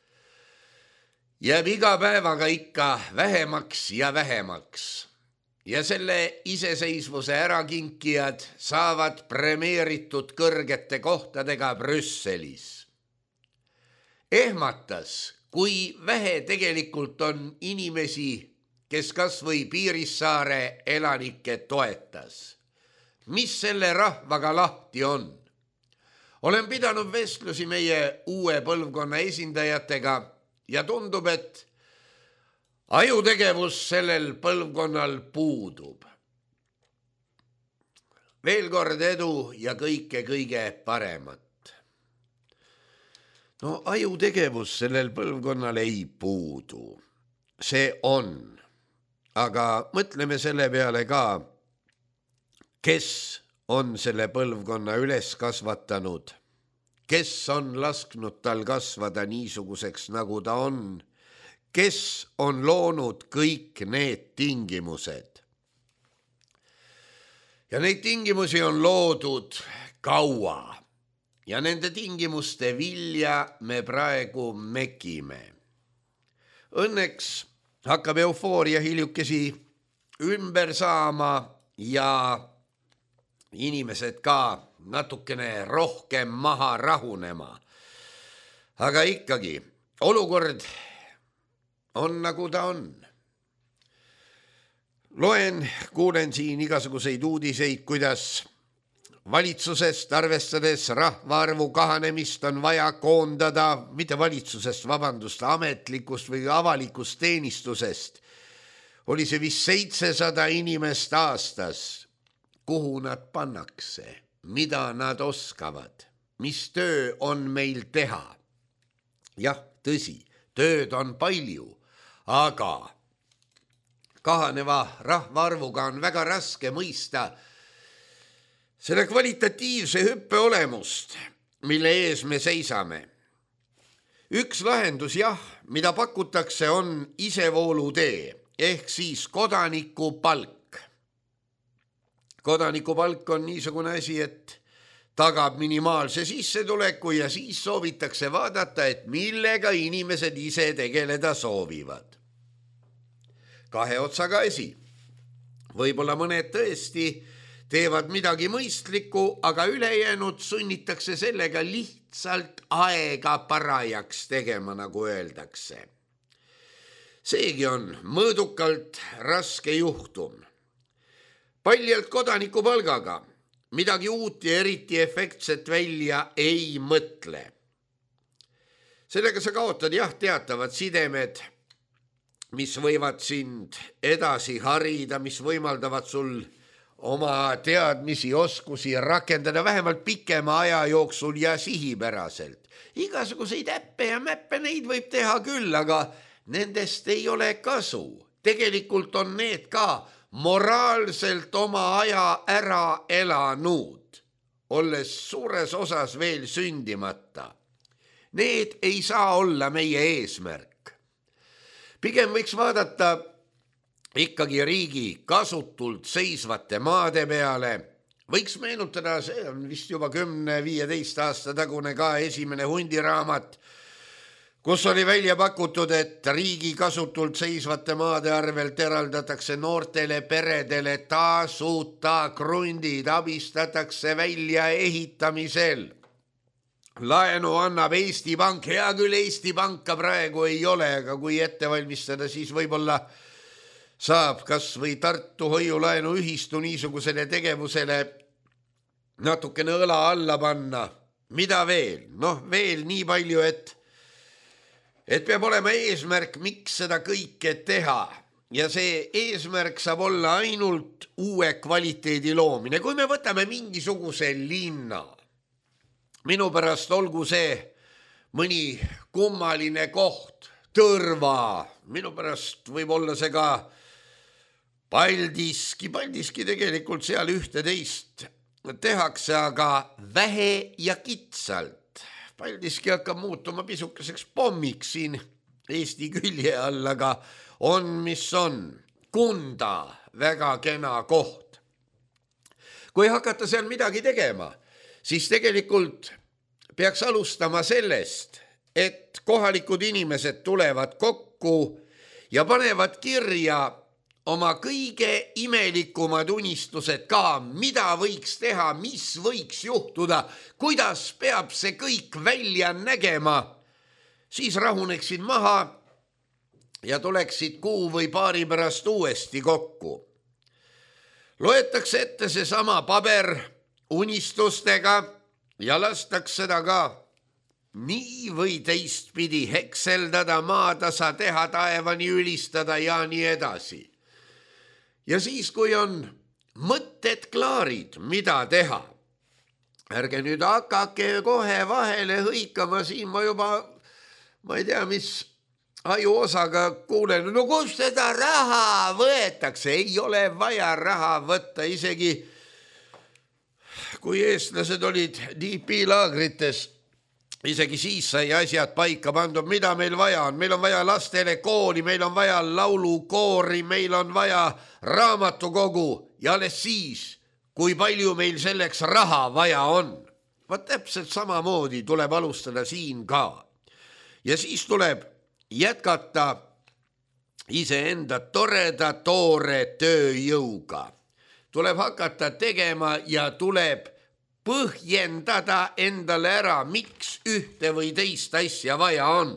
jääb iga päevaga ikka vähemaks ja vähemaks. Ja selle iseseisvuse ärakinkijad saavad premeeritud kõrgete kohtadega Brüsselis. Ehmatas, kui vähe tegelikult on inimesi, kes kas või Piirissaare elanikke toetas. Mis selle rahvaga lahti on? Olen pidanud vestlusi meie uue põlvkonna esindajatega ja tundub, et ajutegevus sellel põlvkonnal puudub. Veel kord edu ja kõige paremat. Ajutegevus sellel põlvkonnal ei puudu. See on. Aga mõtleme selle peale ka, kes on selle põlvkonna üles kasvatanud, kes on lasknud tal kasvada niisuguseks, nagu ta on, kes on loonud kõik need tingimused. Ja neid tingimusi on loodud kaua ja nende tingimuste vilja me praegu mekime. Õnneks hakkab eufooria hiljukesi ümber saama ja inimesed ka natukene rohkem maha rahunema. Aga ikkagi, olukord on nagu ta on. Kuulen siin igasuguseid uudiseid, kuidas valitsusest arvestades rahvaarvu kahanemist on vaja koondada, mitte valitsusest, ametlikust või avalikust teenistusest. Oli see vist 700 inimest aastas. Kuhu nad pannakse, mida nad oskavad, mis töö on meil teha. Jah, tõsi, tööd on palju, aga kahaneva rahvaarvuga on väga raske mõista selle kvalitatiivse hüppe olemust, mille ees me seisame. Üks lahendus jah, mida pakutakse, on isevoolutee ehk siis kodanikupalk. Kodanikupalk on niisugune asi, et tagab minimaalse sissetuleku ja siis soovitakse vaadata, et millega inimesed ise tegeleda soovivad. Kahe otsaga asi. Võib-olla mõned tõesti teevad midagi mõistlikku, aga ülejäänud sunnitakse sellega lihtsalt aega parajaks tegema, nagu öeldakse. Seegi on mõõdukalt raske juhtum. Paljalt kodanikupalgaga midagi uut ja eriti efektset välja ei mõtle. Sellega sa kaotad jah teatavad sidemed, mis võivad sind edasi harida, mis võimaldavad sul oma teadmisi, oskusi rakendada vähemalt pikema aja jooksul ja sihipäraselt. Igasuguseid äppe ja mäppe neid võib teha küll, aga nendest ei ole kasu. Tegelikult on need ka moraalselt oma aja ära elanud, olles suures osas veel sündimata. Need ei saa olla meie eesmärk. Pigem võiks vaadata ikkagi riigi kasutult seisvate maade peale. Võiks meenutada, see on vist juba 10-15 aasta tagune ka esimene hundiraamat, kus oli välja pakutud, et riigi kasutult seisvate maade arvelt eraldatakse noortele peredele tasuta krundid, abistatakse välja ehitamisel. Laenu annab Eesti Pank, hea küll Eesti Panka praegu ei ole, aga kui ette valmistada, siis võib-olla saab kas või Tartu hoiulaenu ühistu niisugusele tegevusele natukene õla alla panna. Mida veel? Veel nii palju, et peab olema eesmärk, miks seda kõike teha. Ja see eesmärk saab olla ainult uue kvaliteedi loomine. Kui me võtame mingisuguse linna, minu pärast olgu see mõni kummaline koht, Tõrva, minu pärast võib olla see ka Paldiski tegelikult seal ühte-teist tehakse, aga vähe ja kitsalt. Paldiski hakkab muutuma pisukeseks pommiks siin Eesti külje all, aga on, mis on. Kunda, väga kena koht. Kui hakata seal midagi tegema, siis tegelikult peaks alustama sellest, et kohalikud inimesed tulevad kokku ja panevad kirja oma kõige imelikumad unistused ka, mida võiks teha, mis võiks juhtuda, kuidas peab see kõik välja nägema. Siis rahuneksid maha ja tuleksid kuu või paari pärast uuesti kokku. Loetakse ette see sama paber unistustega ja lastaks seda ka nii või teistpidi hekseldada, maatasa teha, taevani ülistada ja nii edasi. Ja siis, kui on mõtted klaarid, mida teha, ärge nüüd hakake kohe vahele hõikama, siin ma juba, ma ei tea, mis ajuosaga kuulen, kus seda raha võetakse, ei ole vaja raha võtta, isegi kui eestlased olid DP-laagrites, isegi siis sai asjad paika pandud, mida meil vaja on. Meil on vaja lastele kooli, meil on vaja laulukoori, meil on vaja raamatukogu ja alles siis, kui palju meil selleks raha vaja on. Vaat täpselt samamoodi tuleb alustada siin ka. Ja siis tuleb jätkata iseenda toreda toore tööjõuga. Tuleb hakata tegema ja tuleb põhjendada endale ära, miks ühte või teist asja vaja on.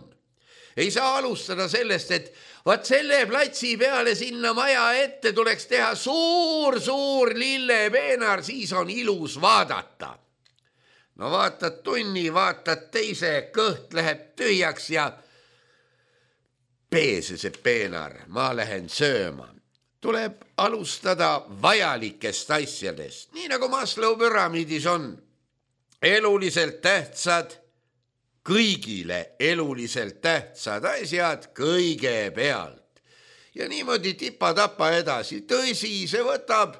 Ei saa alustada sellest, et vaat selle platsi peale sinna maja ette tuleks teha suur lillepeenar, siis on ilus vaadata. No vaatad tunni, vaatad teise, kõht läheb tühjaks ja peese see peenar, ma lähen sööma. Tuleb alustada vajalikest asjadest, nii nagu Maslow püramiidis on. Eluliselt tähtsad, kõigile eluliselt tähtsad asjad kõigepealt. Ja niimoodi tipa-tapa edasi. Tõsi, see võtab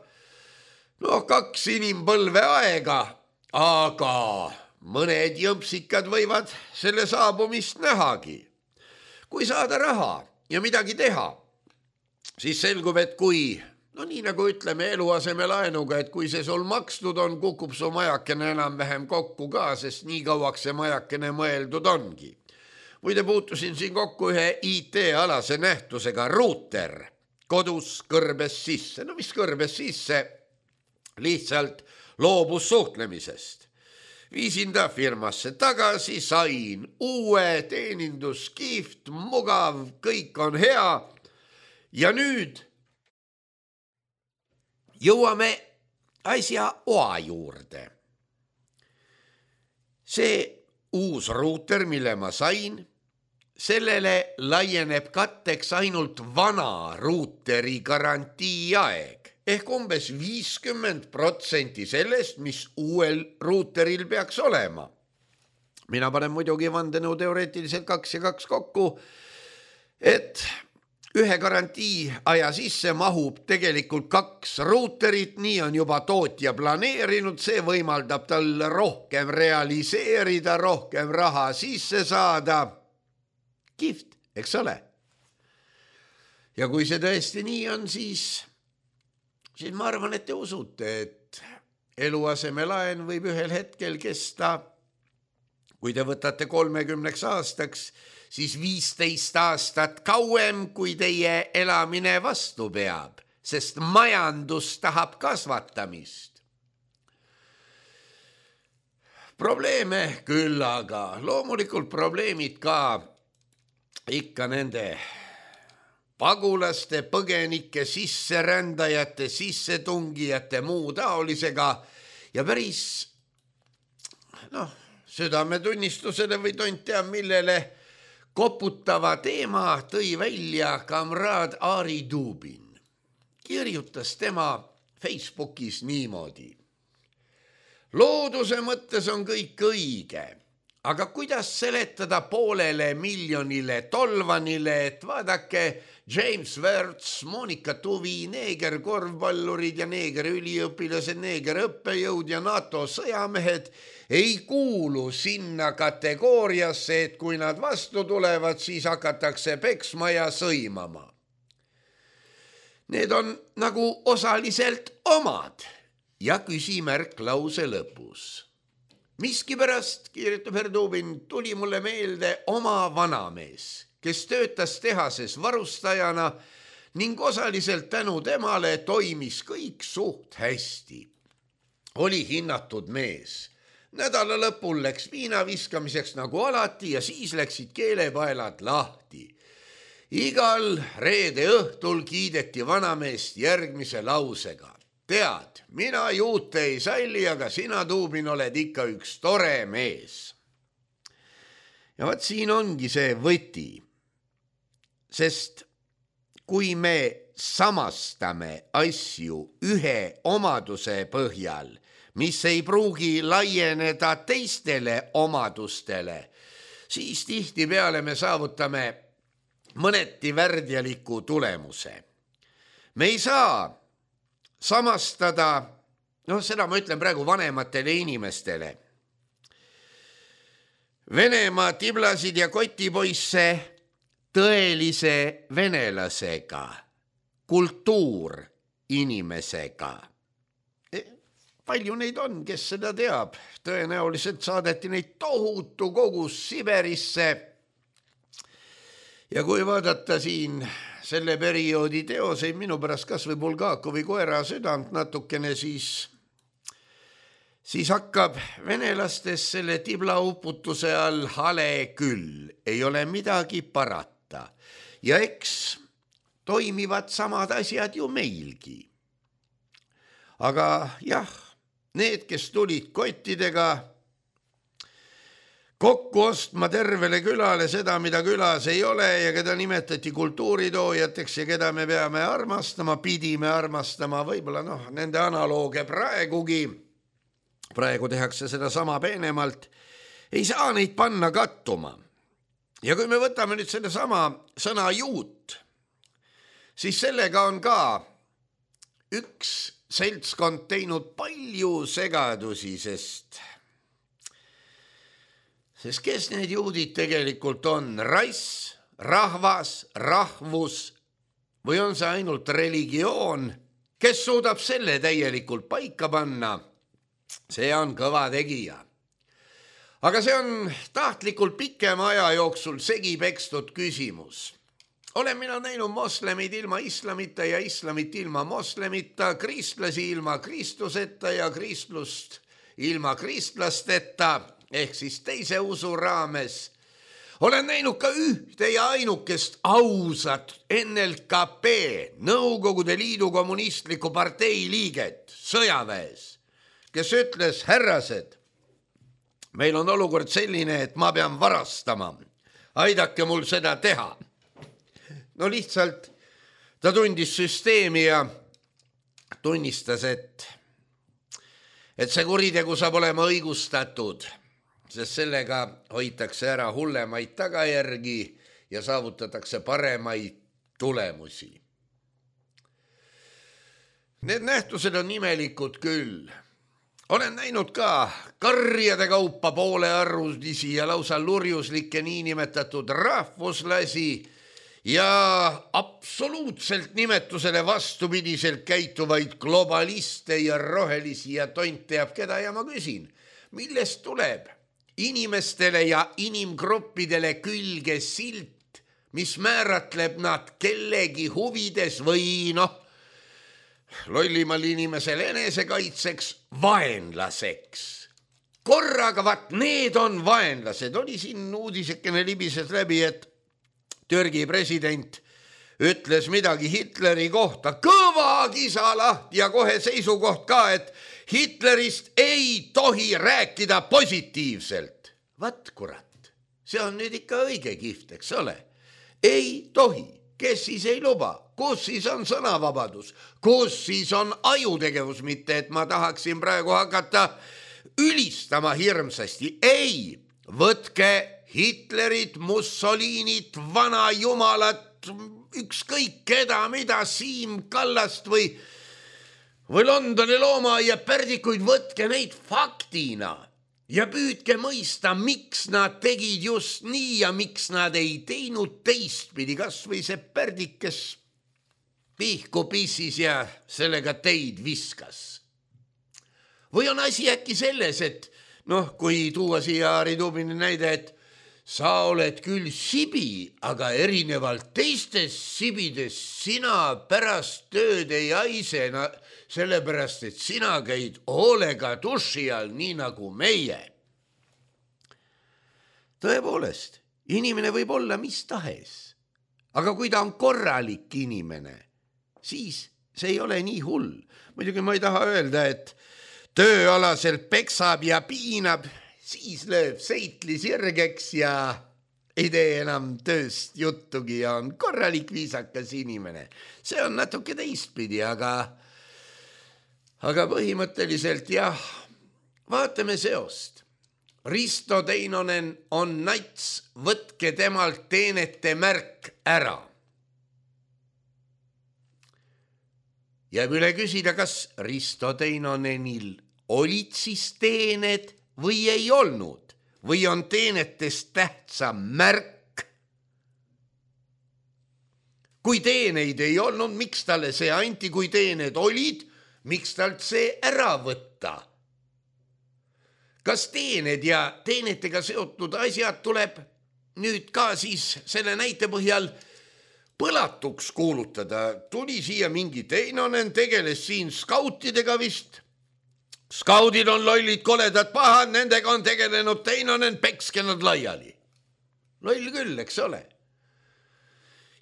2 inimpõlve aega, aga mõned jõmpsikad võivad selle saabumist nähagi. Kui saada raha ja midagi teha, siis selgub, et kui, nii nagu ütleme eluasemelaenuga, et kui see sul makstud on, kukub su majakene enam-vähem kokku ka, sest nii kauaks see majakene mõeldud ongi. Muide puutusin siin kokku ühe IT-alase nähtusega, ruuter, kodus kõrbes sisse. Mis kõrbes sisse? Lihtsalt loobus suhtlemisest. Viisin ta firmasse tagasi, sain uue teenindus, kihvt, mugav, kõik on hea. Ja nüüd jõuame asja oa juurde. See uus ruuter, mille ma sain, sellele laieneb katteks ainult vana ruuteri garantiiaeg ehk umbes 50% sellest, mis uuel ruuteril peaks olema. Mina panen muidugi vandenõuteoreetiliselt 2 ja 2 kokku, et ühe garantii aja sisse mahub tegelikult 2 ruuterit, nii on juba tootja planeerinud, see võimaldab tal rohkem realiseerida, rohkem raha sisse saada. Kihvt, eks ole? Ja kui see tõesti nii on, siis ma arvan, et te usute, et eluasemelaen võib ühel hetkel kesta, kui te võtate 30 aastaks, siis 15 aastat kauem, kui teie elamine vastu peab, sest majandus tahab kasvatamist. Probleeme küll, aga loomulikult probleemid ka ikka nende pagulaste, põgenike, sisserändajate, sissetungijate, muu taolisega ja päris, südametunnistusele või tont teab millele koputava teema tõi välja kamraad Aari Dubin. Kirjutas tema Facebookis niimoodi. Looduse mõttes on kõik õige, aga kuidas seletada 500 miljonile tolvanile, et vaadake, James Werts, Monika Tuvi, neeger korvpallurid ja neeger üliõpilased, neeger õppejõud ja NATO sõjamehed ei kuulu sinna kategooriasse, et kui nad vastu tulevad, siis hakatakse peksma ja sõimama. Need on nagu osaliselt omad ja küsimärk lause lõpus. Miskipärast, kirjutab Herdubin, tuli mulle meelde oma vanamees, kes töötas tehases varustajana ning osaliselt tänu temale toimis kõik suht hästi. Oli hinnatud mees. Nädala lõpul läks viina viskamiseks nagu alati ja siis läksid keelepaelad lahti. Igal reede õhtul kiideti vanameest järgmise lausega. Tead, mina juute ei salli, aga sina, Dubin, oled ikka üks tore mees. Ja vaat siin ongi see võti, sest kui me samastame asju ühe omaduse põhjal, mis ei pruugi laieneda teistele omadustele, siis tihtipeale me saavutame mõneti värdjaliku tulemuse. Me ei saa samastada, seda ma ütlen praegu vanematele inimestele, Venemaa tiblasid ja kotipoisse tõelise venelasega, kultuurinimesega. Palju neid on, kes seda teab. Tõenäoliselt saadeti neid tohutu kogus Siberisse. Ja kui vaadata siin selle perioodi teoseid, minu pärast kas või Bulgakovi koera südant natukene, siis hakkab venelastes selle tiblaupputuse all hale küll. Ei ole midagi parata. Ja eks toimivad samad asjad ju meilgi. Aga jah, need, kes tulid kottidega kokku ostma tervele külale seda, mida külas ei ole ja keda nimetati kultuuritoojateks ja keda me peame armastama, pidime armastama, võib-olla nende analooge praegugi, praegu tehakse seda sama peenemalt, ei saa neid panna kattuma. Ja kui me võtame nüüd selle sama sõna juut, siis sellega on ka üks seltskond teinud palju segadusi, sest Sest kes need juudid tegelikult on? Rass, rahvas, rahvus või on see ainult religioon? Kes suudab selle täielikult paika panna? See on kõva tegija. Aga see on tahtlikult pikema aja jooksul segi pekstud küsimus. Olen mina näinud moslemid ilma islamita ja islamit ilma moslemita, kristlasi ilma kristuseta ja kristlust ilma kristlasteta, ehk siis teise usu raames. Olen näinud ka ühte ja ainukest ausat NLKP, Nõukogude Liidu kommunistliku partei liiget sõjaväes, kes ütles, härrased, meil on olukord selline, et ma pean varastama. Aidake mul seda teha. No lihtsalt ta tundis süsteemi ja tunnistas, et see kuritegu saab olema õigustatud, sest sellega hoitakse ära hullemaid tagajärgi ja saavutatakse paremaid tulemusi. Need nähtused on imelikud küll. Olen näinud ka karjade kaupa poolearvulisi ja lausa lurjuslikke niinimetatud rahvuslasi ja absoluutselt nimetusele vastupidiselt käituvaid globaliste ja rohelisi ja tont teab keda ja ma küsin, millest tuleb inimestele ja inimgruppidele külge silt, mis määratleb nad kellegi huvides või lollimal inimesel enesekaitseks vaenlaseks. Korraga vaat need on vaenlased. Oli siin uudisekene libises läbi, et Türgi president ütles midagi Hitleri kohta. Kõva kisa lahti ja kohe seisukoht ka, et Hitlerist ei tohi rääkida positiivselt. Vat kurat, see on nüüd ikka õige kihvt, eks ole? Ei tohi. Kes siis ei luba? Kus siis on sõnavabadus? Kus siis on ajutegevus? Mitte, et ma tahaksin praegu hakata ülistama hirmsasti. Ei, võtke Hitlerit, Mussolinit, vana jumalat, ükskõik keda, mida, Siim Kallast või Londoni loomaaia pärdikuid, võtke neid faktina ja püüdke mõista, miks nad tegid just nii ja miks nad ei teinud teistpidi, kas või see pärdik, kes pihku pissis ja sellega teid viskas. Või on asi äkki selles, et kui tuua siia Harri Tuubini näide, et sa oled küll sibi, aga erinevalt teistest sibidest sina pärast tööd ei haise, sellepärast, et sina käid hoolega duši all, nii nagu meie. Tõepoolest, inimene võib olla mis tahes, aga kui ta on korralik inimene, siis see ei ole nii hull. Muidugi ma ei taha öelda, et tööalaselt peksab ja piinab, siis lööb seitli sirgeks ja ei tee enam tööst juttugi ja on korralik viisakas inimene. See on natuke teistpidi, aga põhimõtteliselt jah, vaatame seost. Risto Teinonen on nats, võtke temalt teenete märk ära. Jääb üle küsida, kas Risto Teinonenil olid siis teened või ei olnud, või on teenetest tähtsam märk. Kui teeneid ei olnud, miks talle see anti, kui teened olid, miks talt see ära võtta? Kas teened ja teenetega seotud asjad tuleb nüüd ka siis selle näite põhjal põlatuks kuulutada? Tuli siia mingi Teinonen, tegeles siin skautidega vist. Skaudid on lollid, koledad, pahad, nendega on tegelenud Teinonen, pekske nad laiali. Loll küll, eks ole.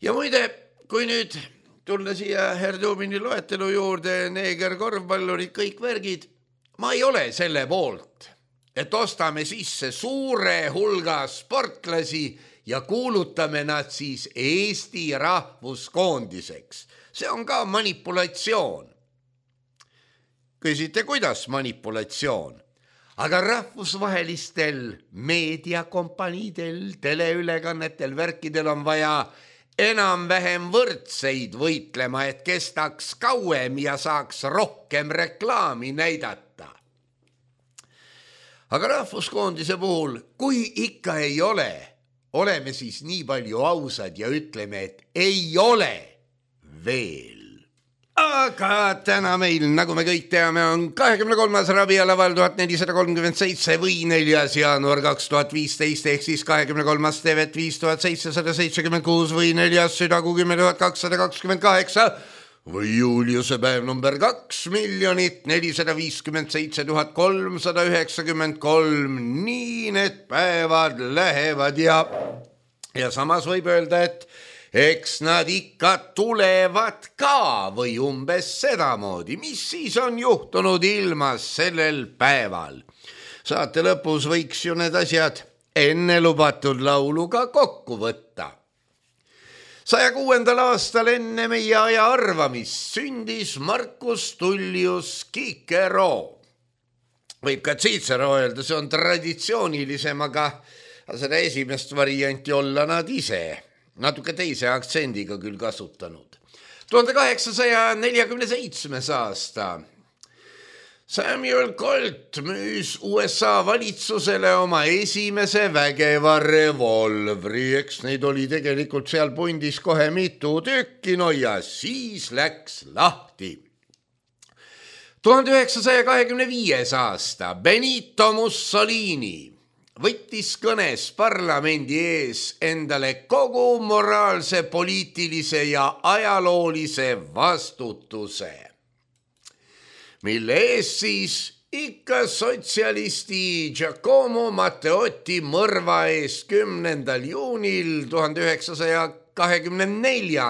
Ja muide, kui nüüd tulla siia Harri Tuubini loetelu juurde, neeger, korvpallurid, kõik värgid, ma ei ole selle poolt, et ostame sisse suure hulga sportlasi ja kuulutame nad siis Eesti rahvuskoondiseks. See on ka manipulatsioon. Küsite, kuidas manipulatsioon? Aga rahvusvahelistel meediakompaniidel, teleülekannetel, värkidel on vaja enam-vähem võrdseid võitlema, et kestaks kauem ja saaks rohkem reklaami näidata. aga rahvuskoondise puhul, kui ikka ei ole, oleme siis nii palju ausad ja ütleme, et ei ole veel. Aga täna meil, nagu me kõik teame, on 23. rabialaval 1437 või 4. jaanuar 2015 ehk siis 23. tevet 5776 või 4. südakuu 10,228 või Juliuse päev number 2,457,393. Nii need päevad lähevad ja samas võib öelda, et eks nad ikka tulevad ka või umbes sedamoodi, mis siis on juhtunud ilmas sellel päeval. Saate lõpus võiks ju need asjad enne lubatud lauluga kokku võtta. 106. aastal enne meie aja arvamist sündis Marcus Tullius Cicero. Võib ka Cicero öelda, see on traditsioonilisem, aga seda esimest varianti olla nad ise natuke teise aktsendiga küll kasutanud. 1847. aasta. Samuel Colt müüs USA valitsusele oma esimese vägeva revolvri, eks neid oli tegelikult seal pundis kohe mitu tükki, no ja siis läks lahti. 1925. aasta. Benito Mussolini võttis kõnes parlamendi ees endale kogu moraalse, poliitilise ja ajaloolise vastutuse, mille ees siis ikka sotsialisti Giacomo Matteotti mõrva eest 10. juunil 1924.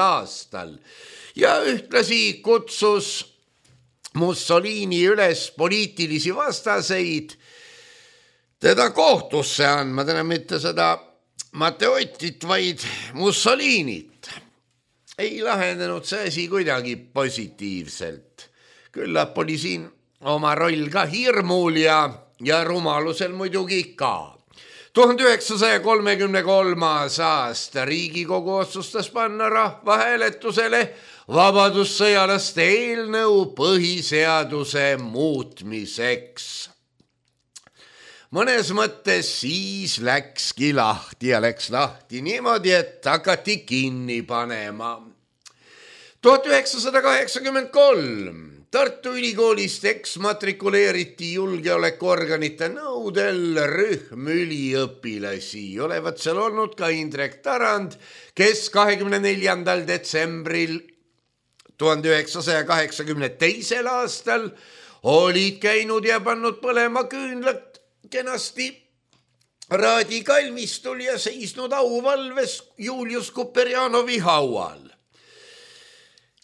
aastal ja ühtlasi kutsus Mussolini üles poliitilisi vastaseid teda kohtusse andma, täna mitte seda Matteotit, vaid Mussolinit. Ei lahendanud see asi kuidagi positiivselt. Küllap oli siin oma roll ka hirmul ja rumalusel muidugi ka. 1933. aasta Riigikogu otsustas panna rahvahääletusele vabadussõjalaste eelnõu põhiseaduse muutmiseks. Mõnes mõttes siis läkski lahti ja läks lahti niimoodi, et hakati kinni panema. 1983 Tartu Ülikoolist eksmatrikuleeriti julgeolekuorganite nõudel rühm üliõpilasi. Olevat seal olnud ka Indrek Tarand, kes 24. detsembril 1982. aastal olid käinud ja pannud põlema küünlad kenasti raadikalmistul ja seisnud auvalves Julius Kuperjanovi haual.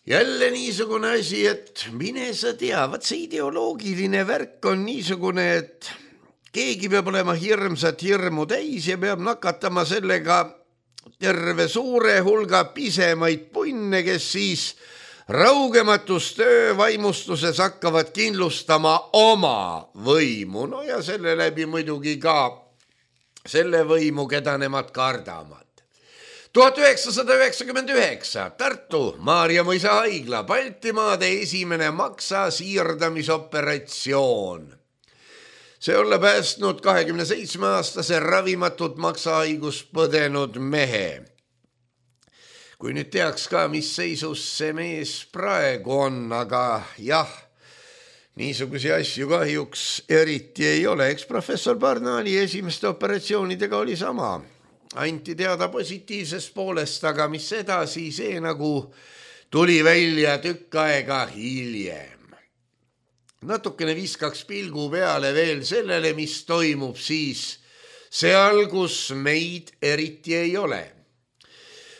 Jälle niisugune asi, et mine sa tea, vaat see ideoloogiline värk on niisugune, et keegi peab olema hirmsat hirmu täis ja peab nakatama sellega terve suure hulga pisemaid punne, kes siis raugematus töövaimustuses hakkavad kindlustama oma võimu, no ja selle läbi muidugi ka selle võimu, keda nemad kardavad. 1999 Tartu Maarja Mõisa haigla Baltimaade esimene maksa siirdamisoperatsioon. See olla päästnud 27-aastase ravimatut maksahaigust põdenud mehe. Kui nüüd teaks ka, mis seisus see mees praegu on, aga jah, niisugusi asju kahjuks eriti ei ole. Eks professor Barnali esimeste operatsioonidega oli sama. Anti teada positiivsest poolest, aga mis edasi, see nagu tuli välja tükk aega hiljem. Natukene viskaks pilgu peale veel sellele, mis toimub siis seal, kus meid eriti ei ole.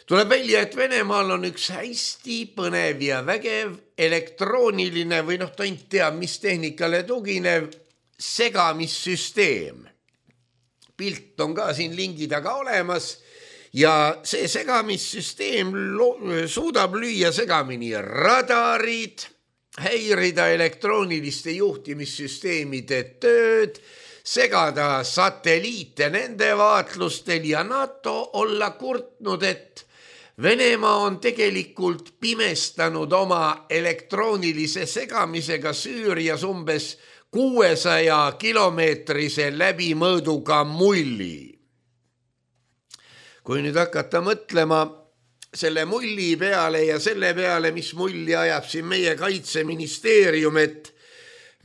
Tuleb välja, et Venemaal on üks hästi põnev ja vägev elektrooniline või ta ei tea, mis tehnikale tuginev segamissüsteem. Pilt on ka siin lingi taga olemas ja see segamissüsteem suudab lüüa segamini radarid, häirida elektrooniliste juhtimissüsteemide tööd, segada satelliite nende vaatlustel ja NATO olla kurtnud, et Venemaa on tegelikult pimestanud oma elektroonilise segamisega Süürias umbes 600-kilomeetrise läbimõõduga mulli. Kui nüüd hakata mõtlema selle mulli peale ja selle peale, mis mulli ajab siin meie kaitseministeerium, et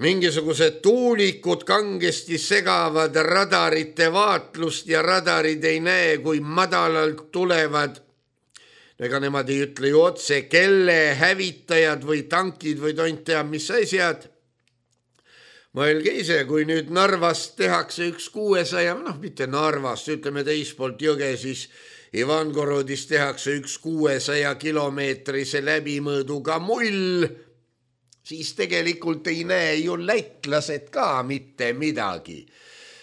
mingisugused tuulikud kangesti segavad radarite vaatlust ja radarid ei näe, kui madalalt tulevad. Ega nemad ei ütle ju otse, kelle hävitajad või tankid või tont teab, mis asjad. Mõelge ise, kui nüüd Narvast tehakse üks 600, mitte Narvast, ütleme teispoolt jõge, siis Ivangorodis tehakse üks 600-kilomeetrise läbimõõduga mull, siis tegelikult ei näe ju lätlased ka mitte midagi.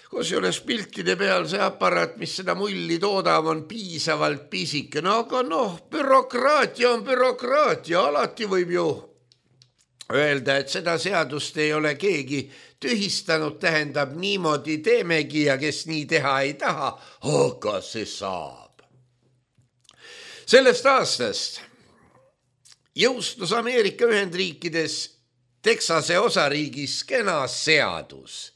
Kusjuures piltide peal see aparaat, mis seda mulli toodab, on piisavalt pisike. No aga bürokraatia on bürokraatia, alati võib ju öelda, et seda seadust ei ole keegi tühistanud, tähendab niimoodi teemegi ja kes nii teha ei taha, aga see saab. Sellest aastast jõustus Ameerika Ühendriikides Texase osariigis kena seadus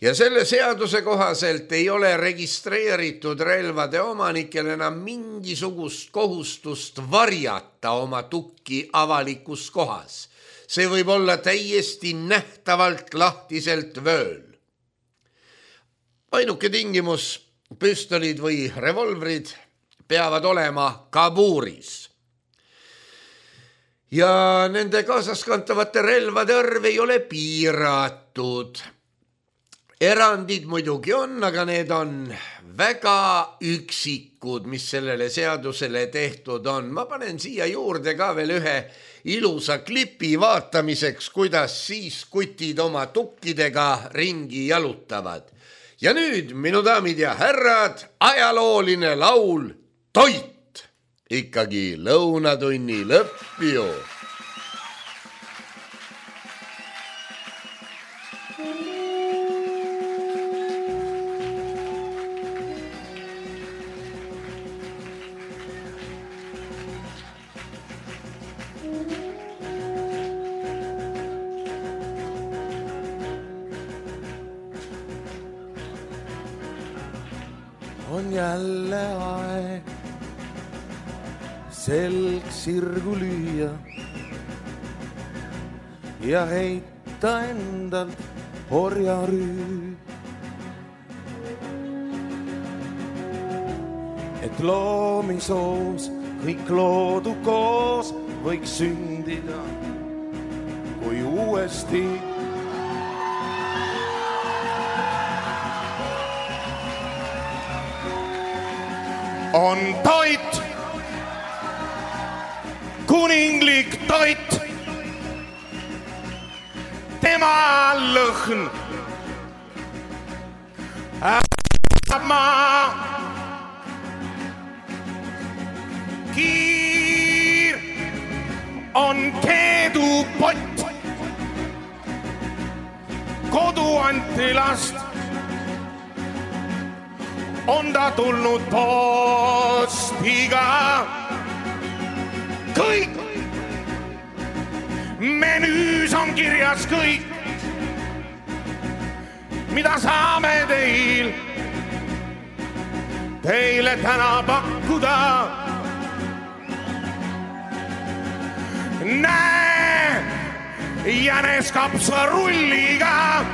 ja selle seaduse kohaselt ei ole registreeritud relvade omanikel enam mingisugust kohustust varjata oma tukki avalikus kohas. See võib olla täiesti nähtavalt lahtiselt vööl. Ainuke tingimus, püstolid või revolvrid peavad olema kabuuris. Ja nende kaasaskantavate relvade arv ei ole piiratud. Erandid muidugi on, aga need on väga üksikud, mis sellele seadusele tehtud on. Ma panen siia juurde ka veel ühe ilusa klipi vaatamiseks, kuidas siis kutid oma tukkidega ringi jalutavad. Ja nüüd, minu daamid ja härrad, ajalooline laul Toit. Ikkagi lõunatunni lõpp ju. On jälle aeg selg sirgu lüüa ja heita endalt orjarüü. Et loomisoos kõik loodu koos võiks sündida, kui uuesti on toit, kuninglik toit, tema lõhn äärab maa. Kiir on keedupott, kodu antilast on ta tulnud postiga. Kõik menüüs on kirjas kõik, mida saame teile täna pakkuda. Näe, jänes kapsarulliga,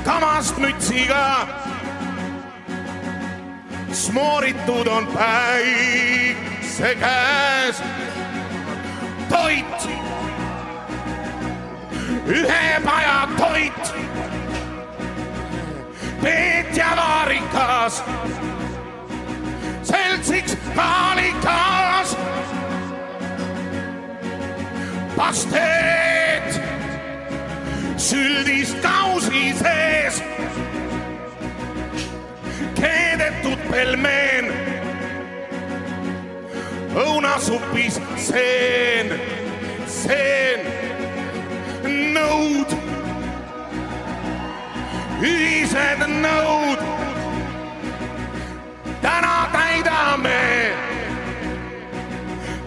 kamast mütsiga, smooritud on päikse käes. Toit, ühe paja toit, Peetja vaarikas, seltsiks kaalikas, pasteet süldist kausi sees, keedetud pelmeen, õunasupis seen, nõud, ühised nõud, täna täidame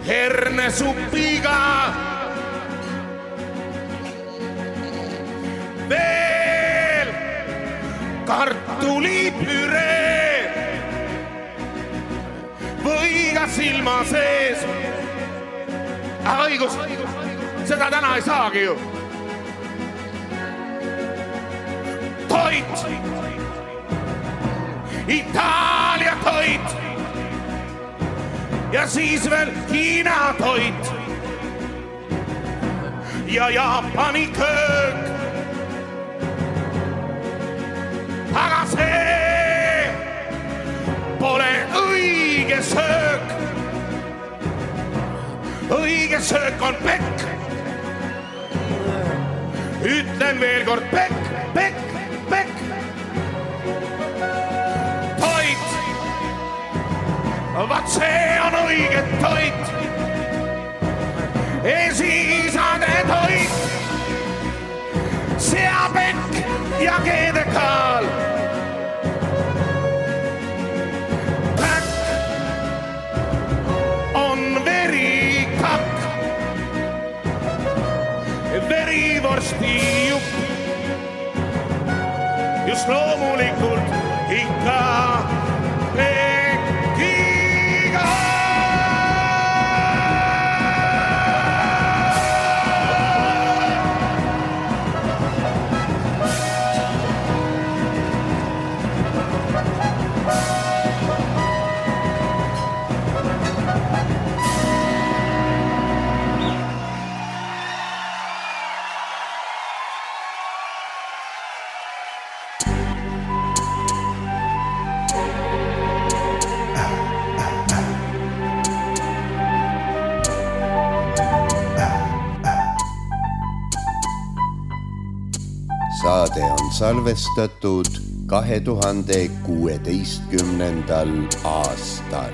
hernesupiga. kartulipüree või ka silma sees. Õigus, seda täna ei saagi ju. Toit, Itaalia toit ja siis veel Hiina toit ja Jaapani köök. Aga see pole õige söök. Õige söök on pekk. Ütlen veel kord pekk, pekk, pekk. Toit, vaat see on õige toit. Esiisade toit, seapekk ja keedekaal. Päkk on verikakk, verivorsti jupp. Just loomulikult ikka pekkiga. Saade on salvestatud 2016. aastal.